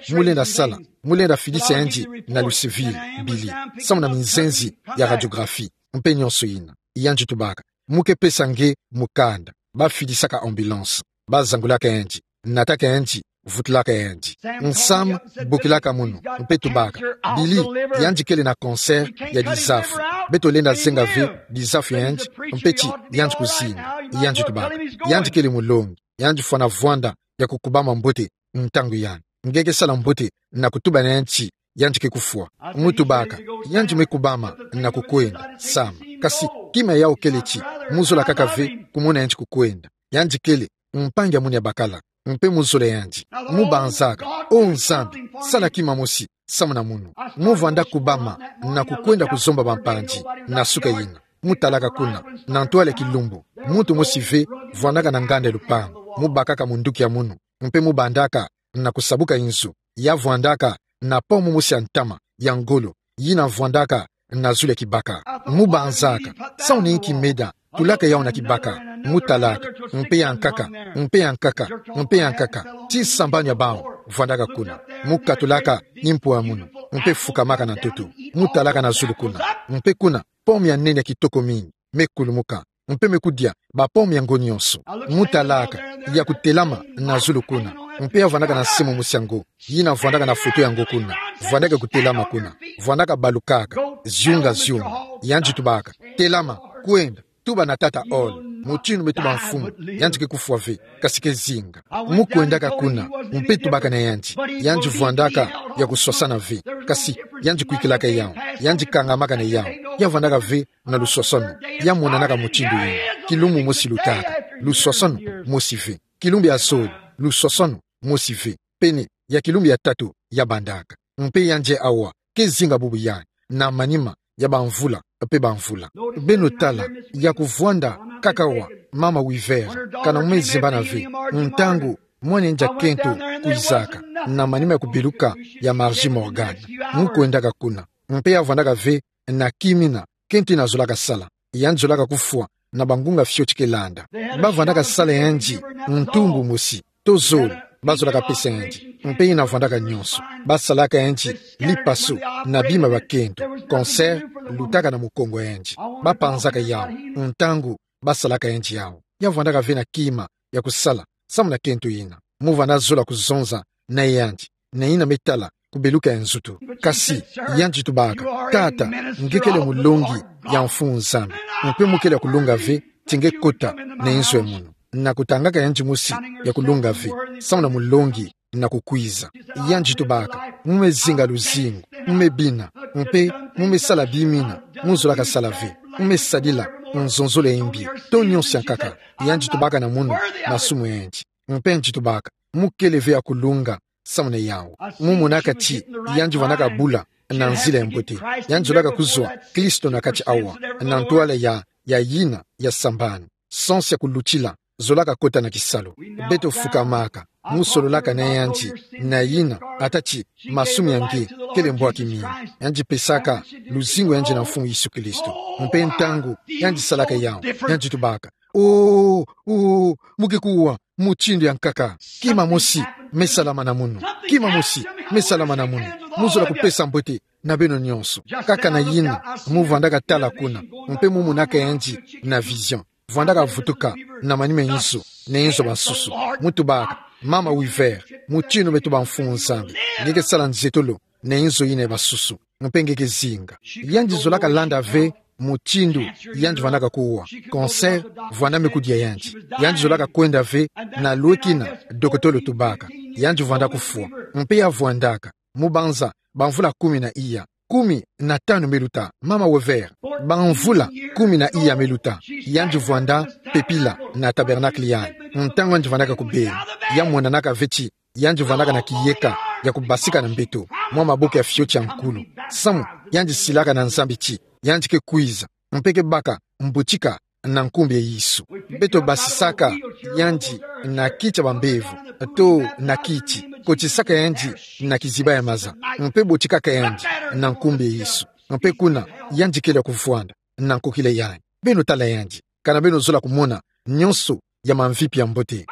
mu lenda sala, mu lenda fidisa yandi na Louisville, Billy, samu na minzenzi ya radiographie mpe nyonso yina. Yandi tubaka: Mu ke pesa nge mukanda. Bafidisaka ambulance, bazangulaka yandi, nataka yandi, vutulaka yandi. Sam bokilaka munu mpe tubaka: Billy, yandi kele na cancer ya dizafu. Beto lenda zenga ve dizafu ya yandi, mpe ti yandi kuzinga. Yandi tubaka: Yandi kele mulongi, yandi fwana vwanda ya kukubama mbote ntangu yandi. Nge ke sala mbote na kutuba na yandi ti yandi ke kufwa. Mu tubaka: Yandi me kubama na kukwenda, Sam. Kasi kima yau kele ti mu zola kaka ve kumona yandi kukwenda. Yandi kele mpangi ya munu ya bakala, mpe mu zola yandi. Mu banzaka: O Nzambi, sala kima mosi samu na munu. Mu vwanda kubama na kukwenda kuzomba bampangi na suka yina. Mu talaka kuna na ntwala ya kilumbu, Muntu mosi ve vwandaka na nganda ya lupangu, mu bakaka munduki ya munu, mpe mu bandaka na kusabuka inzo, ya vwandaka na pomu mosi ya ntama ya ngolo, yina vwandaka na zulu ya kibaka. Mu banzaka, samu na inki meda tulaka yawu na kibaka, mu talaka, mpe ya nkaka, mpe ya nkaka, mpe ya nkaka, tii sambanu ya bawu vwandaka kuna. Mu katulaka impwa ya munu, mpe fukamaka na ntoto, mu talaka na zulu kuna, mpe kuna, pomu ya nene ya kitoko mingi me kulumuka, mpe me kudia bapomu yango nyonso. Mu talaka ya kutelama na zulu kuna, mpe ya vwandaka na nsimu mosi ya ngo, yina vwandaka na foto ya ngo kuna, vwandaka kutelama kuna, vwandaka balukaka, ziunga, ziunga. Yandi tubaka: Telama, kwenda, tuba na Tata Hall, mutindu me tuba mfumu. Yandi ke kufwa ve, kasi ke zinga. Mu kwendaka kuna, mpe tubaka na yandi. Yandi vwandaka ya kuswasana ve, kasi yandi kwikilaka yawu, yandi kangamaka na yawu. Ya vwandaka ve na luswaswanu, ya monanaka mutindu yina. Kilumbu mosi lutaka, luswaswanu mosi ve. Kilumbu ya zole, luswaswanu mosi ve. Pene ya kilumbu ya tatu ya bandaka. Mpe yandi awa ke zinga bubu yandi, na manima ya bamvula mpe bamvula. Beno tala, ya kuvwanda kaka awa, Mama Weaver, kana mu me zimbana ve, ntangu mwana yandi ya kento kwizaka, na manima ya kubeluka ya Margie Morgan. Mu kwendaka kuna, mpe ya vwandaka ve na kima yina kento yina zolaka sala. Yandi zolaka kufwa na bangunga fioti ke landa. Ba vwandaka sala yandi ntumbu mosi to zole, ba zolaka pesa yandi. Mpe yina vwandaka nyonso, ba salaka yandi lipaso na bima bia kento, cancer lutaka na mukongo yandi. Ba panzaka yawu ntangu ba salaka yandi yawu. Ya vwandaka ve na kima ya kusala samu na kento yina. Mu vanda zola kuzonza na yandi, na yina me tala kubeluka ya nzutu. Kasi yandi tubaka: Tata, nge kele mulongi ya Mfumu Nzambi, mpe mu kele ya kulonga ve ti nge kota na inzo ya munu. Na kutangaka yandi mosi ya kulonga ve samu na mulongi na kukwiza. Yandi tubaka: Mu me zinga luzingu, mu me bina, mpe mu me sala bima yina mu zolaka sala ve, mu me sadila nzonzolo ya imbi to nyonso ya nkaka. Yandi tubaka na munu masumu ya yandi. Mpe yandi tubaka: Mu kele ve ya kulonga samu na yawu. Mu monaka ti yandi vandaka bula na nzila ya mbote. Yandi zolaka kuzwa Kristo na kati awa, na ntwala ya, ya yina ya sambanu. Sansi ya kulutila zolaka kota na kisalu. Beto fukamaka, mu sololaka na yandi, na yina, ata ti masumu ya nge kele mbwaki mingi. Yandi pesaka luzingu ya yandi na Mfumu Yesu Kristo. Mpe ntangu yandi salaka yawu, yandi tubaka: Oh, oh, mu ke kuwa mutindu ya nkaka. Kima mosi me salama na munu. Kima mosi me salama na munu. Mu zola kupesa mbote na beno nyonso. Kaka na yina, mu vandaka tala kuna, mpe mu monaka yandi na vision. Vandaka vutuka na manima ya inzo na inzo basusu. Mu tubaka: Mama Weaver, mutindu me tuba Mfumu Nzambi, nge ke sala nzietolo na inzo yina ya basusu. Mpe nge ke zinga. Yandi zolaka landa ve mutindu yandi vandaka kuwa. Cancer vanda me kudia yandi. Yandi zolaka kwenda ve na lweki na dokotolo tubaka. Yandi vanda kufwa. Mpe ya vwandaka, mu banza bamvula kumi na iya, kumi na tanu me luta, Mama Weaver, bamvula kumi na iya me luta, yandi vwanda pepila na tabernacle yandi. Ntangu yandi vandaka kubela, ya monanaka ve ti yandi vandaka na kiyeka ya kubasika na mbeto, mwa maboko ya fioti ya nkulu. Samu yandi silaka na Nzambi ti yandi ke kwiza, mpe ke baka mbotika na nkumbu ya Yesu. Beto basisaka yandi na kiti ya bambevo, to na kiti, kotisaka yandi na kiziba ya maza, mpe botikaka yandi na nkumbu ya Yesu. Mpe kuna, yandi kele ya kuvwanda na nkokila yandi. Beno tala yandi. Kana beno zola kumona nyonso ya mamvipi ya mbote.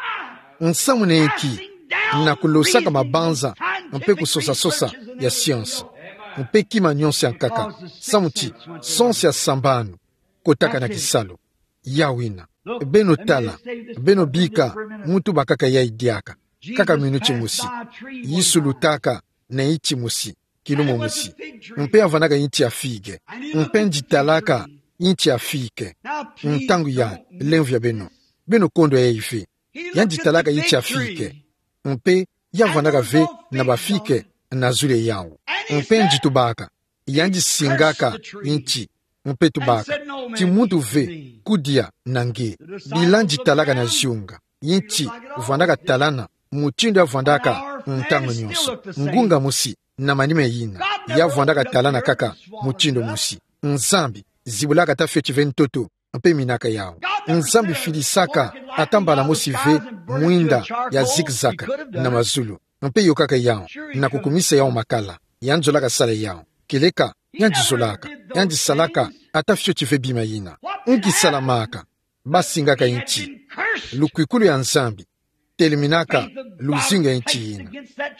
Nsamu na inki? Na kulosaka mabanza mpe kusosa-sosa ya science mpe kima nyonso ya nkaka, samu ti sansi ya sambanu kotaka na kisalu. Yawu yina. Beno tala, beno bika, mu tuba kaka yayi diaka. Kaka minuti mosi. Yesu lutaka na inti mosi, kilumbu mosi. Mpe ya vandaka inti ya figue. Mpe yandi talaka inti ya figue. Ntangu yayi, lemvo ya beno. Beno kondwa yayi ve. Yandi talaka inti ya figue. Mpe ya vandaka ve na ba figue na zulu ya yawu. Mpe yandi tubaka, yandi singaka inti, mpe tubaka ti muntu ve kudia na nge. Bila yandi talaka na ziunga, inti vandaka talana mutindu ya vandaka ntangu nyonso. Ngunga mosi na manima yina, ya vandaka talana kaka mutindu mosi. Nzambi zibulaka ata fioti ve ntoto mpe minaka yau. Nzambi filisaka ata mbala mosi ve mwinda ya zigzag na mazulu, mpe yokaka yau na kukumisa yau makala. Yandi zolaka sala yau. Kieleka, yandi zolaka, yandi salaka ata fioti ve bima yina. Nki salamaka? Basingaka nti. Lukwikulu ya Nzambi telemena ka luzingu ya nti yina.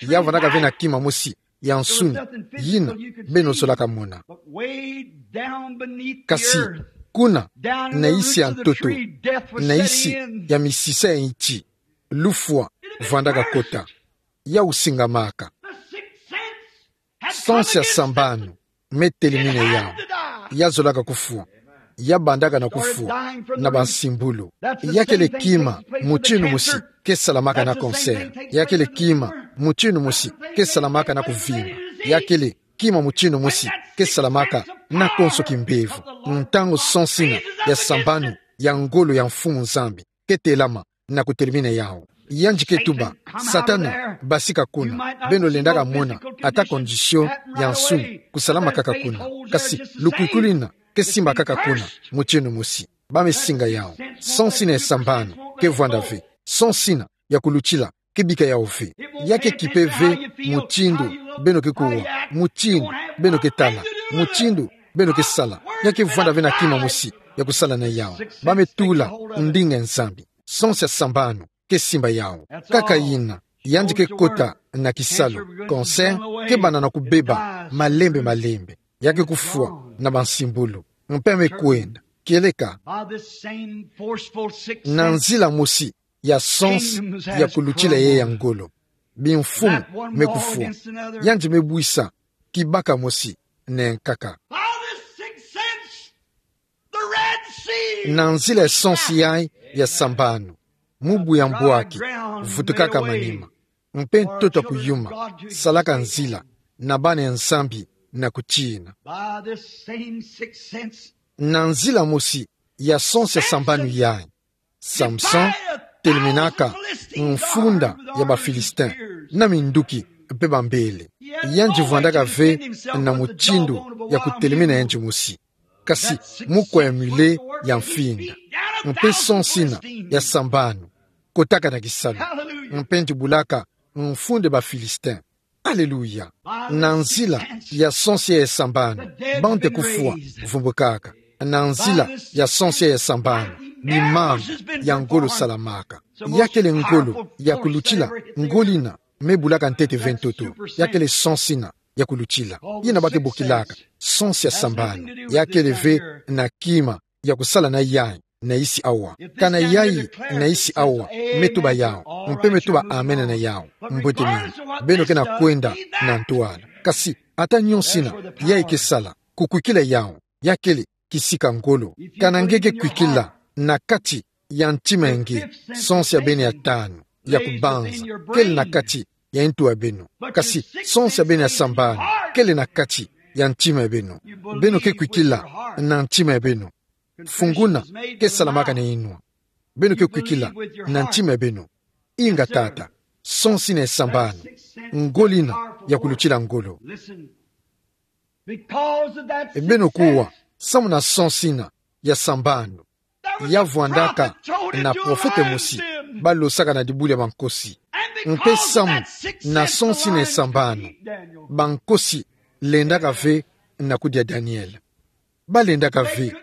Ya vandaka ve na kima mosi ya nsuni yina beno zolaka mona. Kasi kuna, na nsi ya ntoto, na nsi ya misisa ya nti, lufwa vandaka kota. Ya usingamaka. Sens ya sambanu me telemina yau. Ya zolaka kufwa. Ya bandaka na kufwa na bansimbulu. Ya kele kima mutinu mosi ke salamaka na cancer. Ya kele kima mutinu mosi ke salamaka na kuvimba. Ya kele kima mutinu mosi ke salamaka na konso kimbevo. Ntangu sens yina ya sambanu ya ngolo ya Mfumu Nzambi ke telama na kutelemina yau, yandi ke tuba: Satana, basika kuna. Beno lendaka mona ata condition ya nsuni kusalama kaka kuna. Kasi lukwikulu yina ke simba kaka kuna mutinu mosi. Ba me singa yau. Sens yina ya sambanu ke vwanda ve. Sens yina ya kulutila ke bika yau ve. Ya ke kipe ve mutindu beno ke kuwa, mutindu beno ke tala, mutindu beno ke sala. Ya ke vwanda ve na kima mosi ya kusala na yau. Ba me tula ndinga ya Nzambi. Sens ya sambanu ke simba yau. Kaka yina, yandi ke kota na kisalu. Cancer ke banda na kubeba malembe malembe. Ya ke kufwa na bansimbulu. Mpe me kwenda. Kieleka, na nzila mosi ya sens ya kulutila yai ya ngolo, bimfumu me kufwa. Yandi me bwisa kibaka mosi na nkaka. Na nzila ya sens yai ya sambanu, mubu ya mbwaki vutukaka manima, mpe ntoto ya kuyuma salaka nzila na bana ya Nzambi na kutina. Na nzila mosi ya sens ya sambanu yai, Samson telemenaka mfunda ya Bafilistin na minduki mpe bambele. Yandi vwandaka ve na mutindu ya kutelemena yandi mosi, kasi mu kwe mule ya mfinda. Mpe sens yina ya sambanu kotaka na kisalu, mpe yandi bulaka mfunda ya Bafilistin. Aleluya. Na nzila ya sens ya sambanu, bante kufwa vumbukaka. Na nzila ya sens ya sambanu, bimama ya ngolo salamaka. Ya kele ngolo ya kulutila, ngolo yina me bulaka ntete ve ntoto. Ya kele sens yina ya kulutila, yina ba ke bokilaka sens ya sambanu. Ya kele ve na kima ya kusala na yai na isi awa. Kana yai na isi awa, me tuba yau, mpe me tuba amen na yau. Mbwete mina, beno ke na kwenda na ntwala. Kasi ata nionso yina yai ke sala, kukwikila yau, ya kele kisika ngolo. Kana nge ke kwikila na kati ya ntima nge, sens ya beno ya tanu ya kubanza kele na kati ya ntu ya beno, kasi sens ya beno ya sambanu kele na kati ya ntima ya beno. Beno ke kwikila na ntima ya beno. Funguna ke salamaka na inwa. Beno ke kwikila na ntima ya beno. Inga tata, sens yina ya sambanu, ngolo yina ya kulutila ngolo. Beno kuwa, samu na sens yina ya sambanu, ya vwandaka na profete mosi ba losaka na dibulu ya bankosi. Mpe samu na sens yina ya sambanu, bankosi lendaka ve na kudia Daniel. Ba lendaka ve,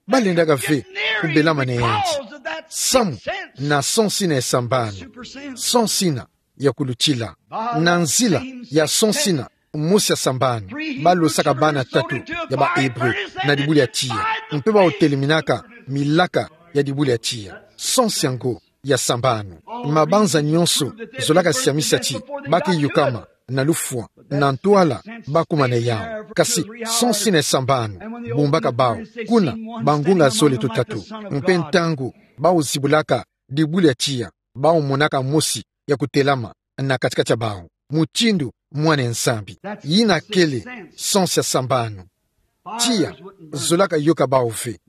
ba lendaka ve kubelama na yandi. Samu na sens yina ya sambanu, sens yina ya kulutila. Na nzila ya sens yina mosi ya sambanu, ba losaka bana tatu ya ba Hébreux na dibulu ya tiya, mpe ba oteleminaka milaka ya dibulu ya tiya. Sens yango ya sambanu. Mabanza nionso zolaka siamisa ti ba ke yukama na lufwa, na ntwala ba kuma na yau. Kasi sens yina ya sambanu bumbaka bau kuna bangunga zole to tatu. Mpe ntangu ba ozibulaka dibulu ya tiya, ba omonaka mosi ya kutelama na kati-kati ya bau, mutindu Mwana ya Nzambi. Yina kele sens ya sambanu. Tiya zolaka yoka bau ve.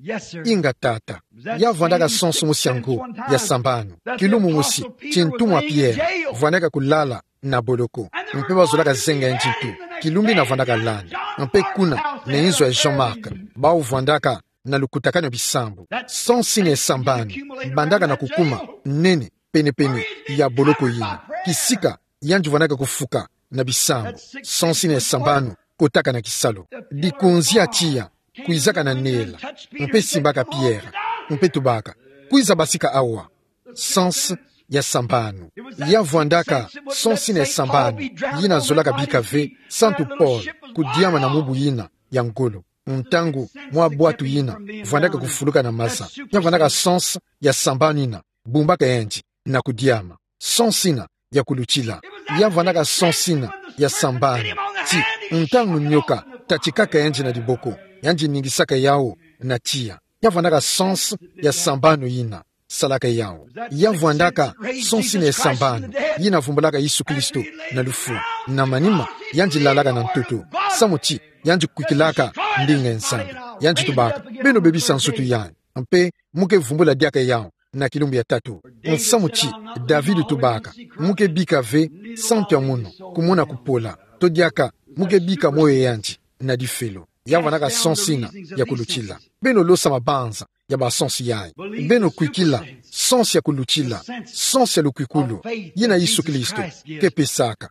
Inga tata. Ya vwandaka sens mosi yango ya sambanu. Kilumbu mosi, tintumwa Pierre vwandaka kulala na boloko, mpe ba zolaka zenga yandi ntu. Kilumbu yina vwandaka landa. Mpe kuna na inzo ya Jean-Marc, bau vwandaka na lukutakanu ya bisambu. Sansu ina ya sambanu bandaka na kukuma nene penepene ya boloko yina. Kisika yandi vwandaka kufuka na bisambu. Sansu ina ya sambanu kotaka na kisalu. Dikunzi ya tiya kwizaka na nela, mpe simbaka Pierre, mpe tubaka: "Kwiza basika awa." Sansu ya sambanu. Ya vwandaka sansu ina ya sambanu yina zolaka bika ve Santu Paul kudiama na mubu yina ya ngolo, ntangu mwa bwatu yina vwandaka kufuluka na maza. Ya vwandaka sansu ya sambanu yina bumbaka yandi na kudiama. Sansu ina ya kulutila. Ya vwandaka sansu ina ya sambanu ti ntangu nioka tatikaka yandi na diboko, yandi ningisaka yawu na tiya. Ya vwandaka sansu ya sambanu yina salaka yawu. Ya vwandaka sansu ina ya sambanu yina vumbulaka Yesu Kristo na lufu. Na manima, yandi lalaka na ntoto, samu ti yandi kwikilaka ndinga ya Nzambi. Yandi tubaka: "Beno bebisa nsutu yai, mpe mu ke vumbula diaka yawu na kilumbu ya tatu." Nsamu ti David tubaka: "Mu ke bika ve santu ya munu kumona kupola, to diaka mu ke bika moyo yandi na difelo." Ya vwandaka sansu ina ya kulutila. Beno losa mabanza ya basansu yai. Beno kwikila sansu ya kulutila, sansu ya lukwikulu yina Yesu Kristo ke pesaka.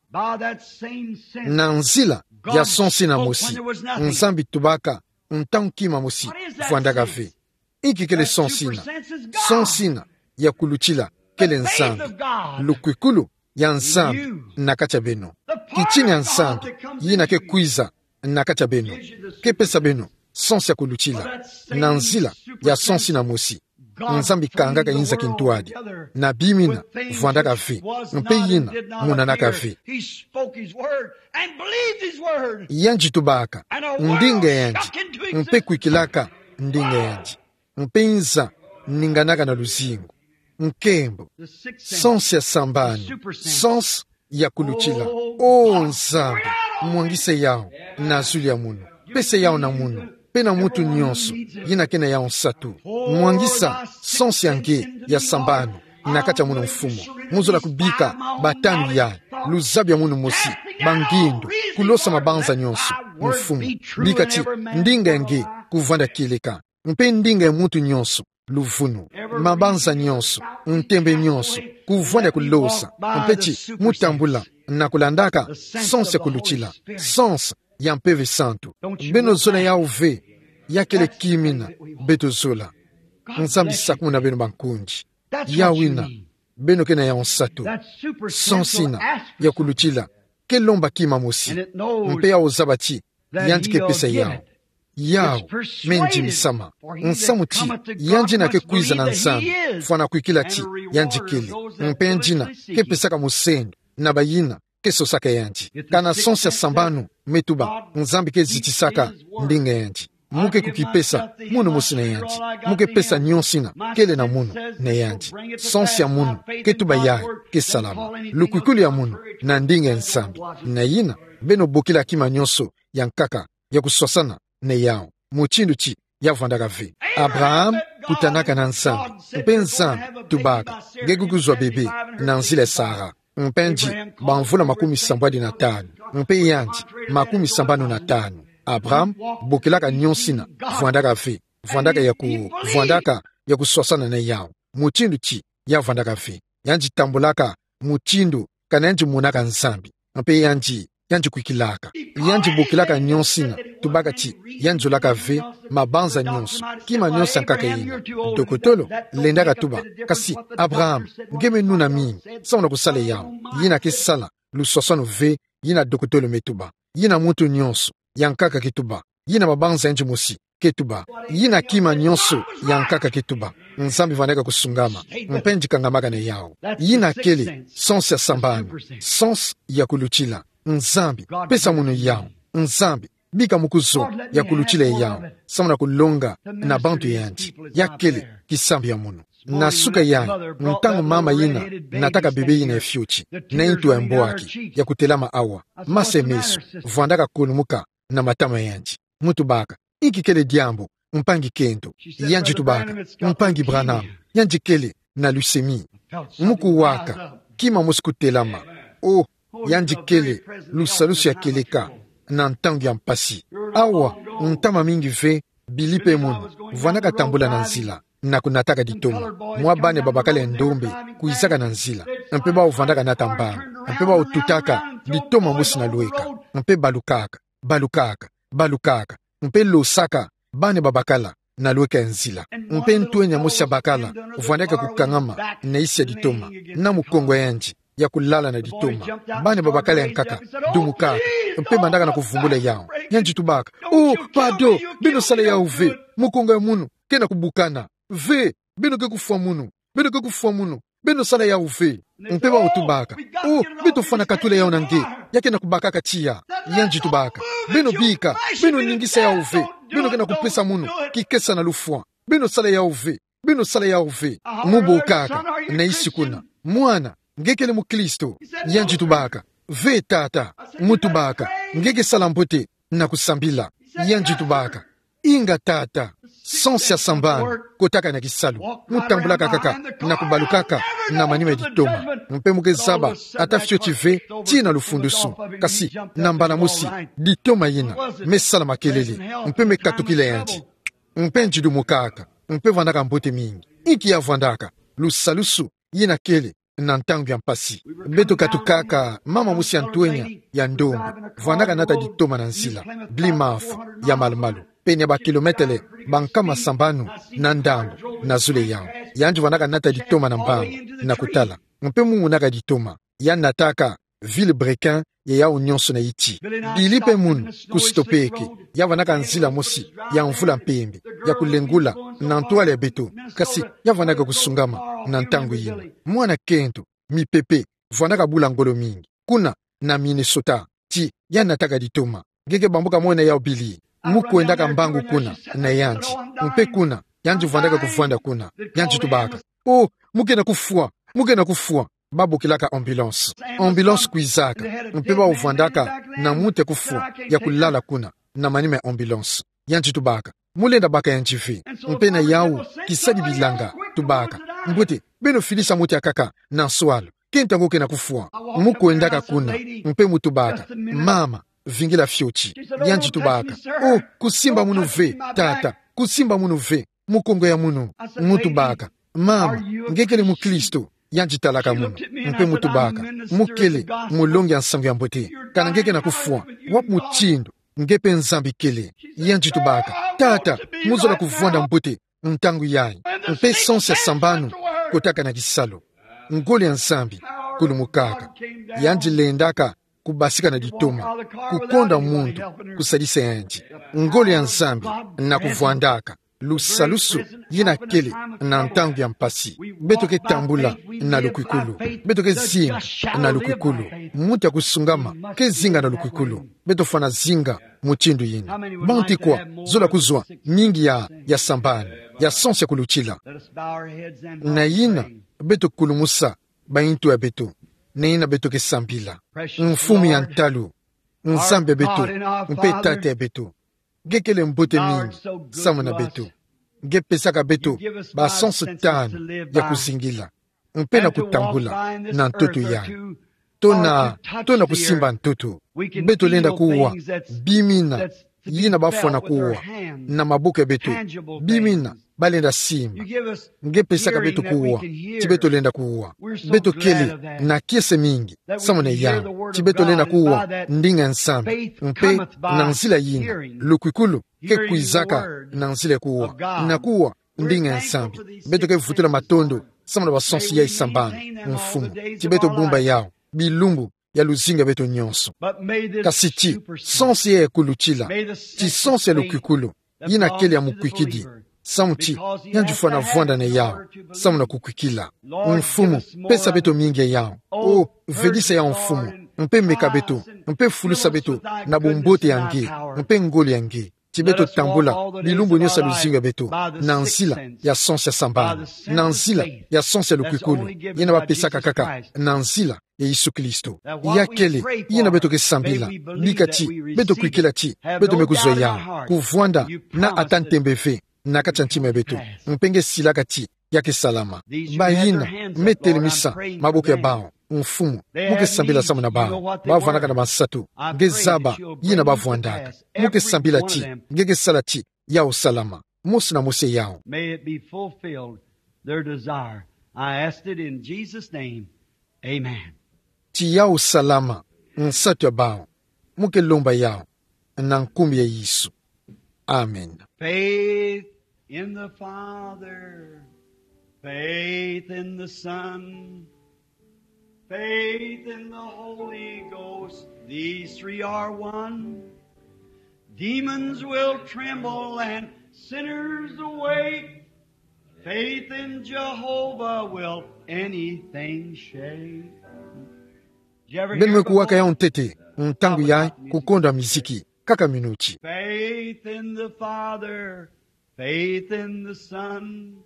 Na nzila ya sansu ina mosi, Nzambi tubaka ntangu kima mosi vwandaka ve. Inki kele sansu ina? Sansu ina ya kulutila kele Nzambi, lukwikulu ya Nzambi na kati ya beno. Kitina ya Nzambi yina ke kwiza na kati ya beno ke pesa beno sansu ya kulutila. Na nzila ya sansu ina mosi, Nzambi kangaka inza kintwadi na bima yina vwandaka ve, mpe yina monanaka ve. Yandi tubaka ndinga yandi, mpe kwikilaka ndinga yandi, mpe inza ninganaka na luzingu. Nkembo. Sansu ya sambanu, sansu ya kulutila. O Nzambi, mwangisa yawu na zulu ya munu. Pesa yawu na munu, mpe na muntu nyonso yina ke na yawu nsatu. Mwangisa sansu ya nge ya sambanu na kati ya munu, Mfumu. Mu zola kubika batanu yai, luzabu ya munu mosi, bangindu, kulosa mabanza nyonso, Mfumu. Bika ti ndinga ya nge kuvwanda kieleka, mpe ndinga ya muntu nyonso luvunu. Mabanza nyonso, ntembe nyonso, kuvwanda kulosa, mpe ti mu tambula na kulandaka sansu ya kulutila, sansu ya Mpeve Santu. Beno zola yawu ve? Ya kele kima yina beto zola. Nzambi sakumuna beno, bankundi. Yawu yina, beno ke na yawu nsatu. Sansu yina ya kulutila ke lomba kima mosi, mpe yawu zaba ti yandi ke pesa yawu. Yawu me ndimisama, nsamu ti yandi yina ke kwiza na Nzambi, fwana kwikila ti yandi kele, mpe yandi yina ke pesaka musendo na bayina ke sosaka yandi. Kana sansu ya sambanu me tuba, Nzambi ke zitisaka ndinga yandi. Mu ke kukipesa munu mosi na yandi. Mu ke pesa nyonso yina kele na munu na yandi. Sansu ya munu ke tuba yai ke salama. Lukwikulu ya munu na ndinga ya Nzambi. Na yina, beno bokila kima nyonso ya nkaka ya kuswasana na yawu, mutindu ti ya vwandaka ve. Abraham kutanaka na Nzambi, mpe Nzambi tubaka: Nge ke kuzwa bebe na nzila ya Sara. Mpe yandi bamvula makumi sambwadi na tanu, mpe yandi makumi sambanu na tanu. Abraham bokilaka nyonso yina vwandaka ve, vwandaka ya ku-, vwandaka ya kuswasana na yawu, mutindu ti ya vwandaka ve. Yandi tambulaka mutindu kana yandi monaka Nzambi, mpe yandi, yandi kwikilaka. Yandi bokilaka nyonso yina, tubaka ti yandi zolaka ve mabanza nyonso, kima nyonso ya nkaka yina. Dokotolo lendaka tuba: Kasi Abraham, nge me nuna mingi, samu na kusala yawu? Yina ke sala luswaswanu ve yina dokotolo me tuba. Yina muntu nyonso ya nkaka ke tuba. Yina mabanza yandi mosi ke tuba. Yina kima nyonso ya nkaka ke tuba. Nzambi vandaka kusungama, mpe yandi kangamaka na yawu. Yina kele sansu ya sambanu, sansu ya kulutila. Nzambi, pesa munu yawu. Nzambi, bika mukuzo ya kulutila yawu, samu na kulonga na bantu yandi. Ya kele kisambi ya munu. Na suka yandi, ntangu mama yina nataka bebe yina ya fioti, na ntu ya mbwaki ya kutelama awa, masa ya meso, vwandaka kulumuka na matama yandi. Mu tubaka: Inki kele diambu, mpangi kento? Yandi tubaka: Mpangi Branham, yandi kele na leucémie. Mu kuwaka kima mosi kutelama. Oh, yandi kele lusalusu ya kieleka na ntangu ya mpasi. Awa, ntama mingi ve Bili pe munu, vwandaka tambula na nzila, na kunataka ditoma. Mwa bane babakala ya ndombe, kwizaka na nzila. Mpe bawu vwandaka nata mbangu. Mpe bawu tutaka, ditoma mosi na lweka. Mpe balukaka, balukaka, balukaka. Mpe losaka, bane babakala, na lweka ya nzila. Mpe ntwenya mosi ya bakala, vwandaka kukangama, na isi ya ditoma. Na mukongo yandi, ya kulala na ditoma. Bane babakala ya nkaka, dumukaka. Mpe bandaka na kuvumbula yawu. Yandi tubaka: "Oh, pardon, beno sala yawu ve. Mukongo ya munu, ke na kubukana. Ve, beno ke kufwa munu. Beno ke kufwa munu. Beno sala yawu ve." Mpe bawu tubaka: "Oh, beto fwana katula yawu na nge. Ya ke na kubakaka tiya." Yandi tubaka: "Beno bika, beno ningisa yawu ve. Beno ke na kupesa munu kikesa na lufwa. Beno sala yawu ve. Beno sala yawu ve." Mu bokaka, na isi kuna: "Mwana, nge kele mukristo?" Yandi tubaka: "Ve, tata." Mu tubaka: "Nge ke sala mbote na kusambila." Yandi tubaka: "Inga, tata." Sens ya sambanu, kotaka na kisalu. Mu tambulaka kaka, na kubalukaka na manima ya ditoma. Mpe mu ke zaba ata fioti ve, tii na lufundusu. Kasi, na mbala mosi, ditoma yina me sala makelele. Mpe me katukila yandi. Mpe yandi dumukaka, mpe vwandaka mbote mingi. Inki ya vwandaka? Lusalusu yina kele na ntangu ya mpasi. Beto katukaka mama mosi ya ntwenya ya ndombe, vwandaka nata ditoma na nzila, Plymouth ya malu-malu, pene ya bakilometele bankama sambanu na ndambu na zulu yawu. Yandi vwandaka nata ditoma na mbangu, na kutala. Mpe mu monaka ditoma, ya nataka Vilebrequin ya yawu nyonso na iti. Bili pe munu, ku Stopeck, ya vwandaka nzila mosi ya mvula mpembe, ya kulengula na ntwala ya beto, kasi ya vwandaka kusungama na ntangu yina. Mwana kento, mipepe, vwandaka bula ngolo mingi, kuna na Minnesota, ti ya nataka ditoma. Nge ke bambuka mwena yawu bili. Mu kwendaka mbangu kuna na yandi. Mpe kuna, yandi vwandaka kuvwanda kuna. Yandi tubaka: "Oh, mu ke na kufwa, mu ke na kufwa." Babokilaka ambulance. Ambulance kwizaka, mpe bawu vwandaka na muntu ya kufwa, ya kulala kuna na manima ya ambulance. Yandi tubaka: "Mu lenda baka yandi ve." Mpe na yawu, kisadi bilanga, tubaka: "Mbote, beno filisa muntu ya nkaka na nswalu. Kento yango ke na kufwa." Mu kwendaka kuna, mpe mu tubaka: "Mama, vingila fioti." Yandi tubaka: "Oh, kusimba munu ve, tata, kusimba munu ve. Mukongo ya munu." Mu tubaka: "Mama, nge kele mukristo?" Yandi talaka munu, mpe mu tubaka: "Mu kele, mulongi ya nsangu ya mbote. Kana nge ke na kufwa, wapi mutindu nge mpe Nzambi kele?" Yandi tubaka: "Tata, mu zola kuvwanda mbote ntangu yayi." Mpe sens ya sambanu, kotaka na kisalu. Ngolo ya Nzambi kulumukaka. Yandi lendaka kubasika na ditoma, kukonda muntu kusadisa yandi. Ngolo ya Nzambi na kuvwandaka. Lusalusu yina kele na ntangu ya mpasi. Beto ke tambula na lukwikulu. Beto ke zinga na lukwikulu. Muntu ya kusungama ke zinga na lukwikulu. Beto fwana zinga mutindu yina. Bantu kwa zola kuzwa mingi ya, ya sambanu, ya sens ya kulutila? Na yina, beto kulumusa bayintu ya beto, na yina beto ke sambila. Mfumu ya ntalu, Nzambi ya beto, mpe Tata ya beto, nge kele mbote mingi samu na beto. Nge pesaka beto ba sens tanu ya kuzingila, mpe na kutambula na ntoto yayi. To na, to na kusimba ntoto. Beto lenda kuwa bima yina bafwana kuwa na maboko ya beto, bima yina balenda simba. Nge pesaka beto kuwa ti beto lenda kuwa. Beto kele na kiese mingi samu na yawu, ti beto lenda kuwa ndinga ya Nzambi. Mpe na nzila yina, lukwikulu ke kwizaka na nzila ya kuwa, na kuwa ndinga ya Nzambi. Beto ke vutula matondo samu na ba sens yayi sambanu, Mfumu, ti beto bumba yawu bilumbu ya luzingu ya beto nyonso. Kasi ti sens yayi ya kulutila, ti sens ya lukwikulu, yina kele ya mukwikidi, samu ti yandi fwana vwanda na yawu samu na kukwikila. Mfumu, pesa beto mingi ya yawu. O, vedisa yawu, Mfumu, mpe meka beto, mpe fulusa beto na bumbote ya nge, mpe ngolo ya nge, ti beto tambula bilumbu nyonso ya luzingu ya beto na nzila ya sens ya sambanu, na nzila ya sens ya lukwikulu yina bapesaka kaka na nzila ya Yesu Kristo. Ya kele yina beto ke sambila, bika ti beto kwikila ti beto me kuzwa yawu, kuvwanda na ata ntembe ve na kati ya ntima ya beto. Mpe nge silaka ti ya ke salama. Bayina me telemisa maboko ya bawu, Mfumu, mu ke sambila samu na bawu. Bawu vwandaka na bansatu. Nge zaba yina bavwandaka. Mu ke sambila ti nge ke sala ti yau salama. Mosi na mosi yau. May it be fulfilled, their desire. I asked it in Jesus' name. Amen. Ti yau salama, nsatu ya bau. Mo ke lomba yau, na nkumbu ya Yesu. Amen. Faith in the Father, faith in the Son, faith in the Holy Ghost. These three are one. Demons will tremble and sinners awake. Faith in Jehovah will anything shake. Did you ever hear before? Beno me kuwaka yau ntete, ntangu ya kukonda miziki, kaka minuti. Faith in the Father, faith in the Son,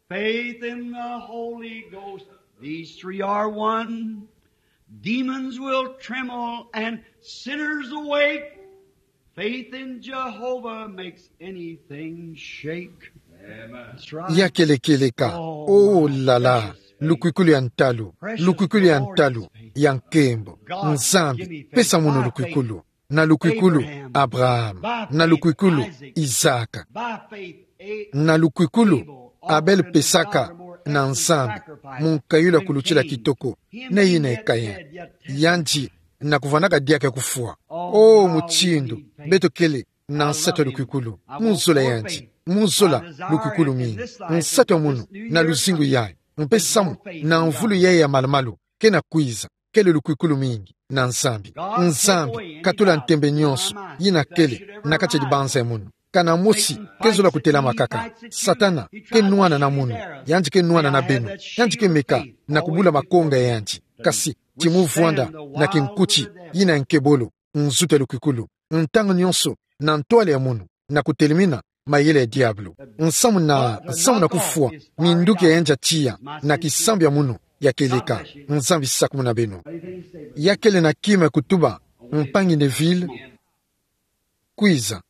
faith in the Holy Ghost. These three are one. Demons will tremble and sinners awake. Faith in Jehovah makes anything shake. Amen. That's right. Ya kelekele ka. Oh, oh la la. Precious faith. Lukwikilu ya ntalu. Precious, lukwikilu ya ntalu, glorious faith. Ya nkembo. God, Nzambi, give me faith. Pesa mono lukwikilu. By faith, Abraham. Na lukwikilu, Abraham. By faith, Isaac. Na lukwikilu, Isaac. By faith, A-, Abel. Na lukwikilu, Abel pesaka na Nzambi, mu nkayulu ya kulutila kitoko, neye na Kaina. Yandi na kuvwandaka diaka ya kufwa. Oh, mutindu beto kele na nsatu ya lukwikilu. Mu zola yandi, mu zola lukwikilu mingi. Nsatu ya munu na luzingu yayi, mpe samu na mvulu yayi ya malu-malu ke na kwiza, kele lukwikilu mingi na Nzambi. Nzambi katula ntembe nyonso yina kele na kati ya dibanza ya munu. Kana mosi ke zola kutelama kaka. Satana ke nwana na munu, yandi ke nwana na beno, yandi ke meka na kubula makonga ya yandi. Kasi ti mu vwanda na kinkuti yina nkebolo, nzutu ya lukwikilu, ntangu nyonso na ntwala ya munu, na kutelemina mayele ya diabulu. Nsamu na, nsamu na kufwa, minduki ya yandi ya tiya na kisambu ya munu ya kieleka. Nzambi sakumuna beno. Ya kele na kima ya kutuba, mpangi Neville, kwiza.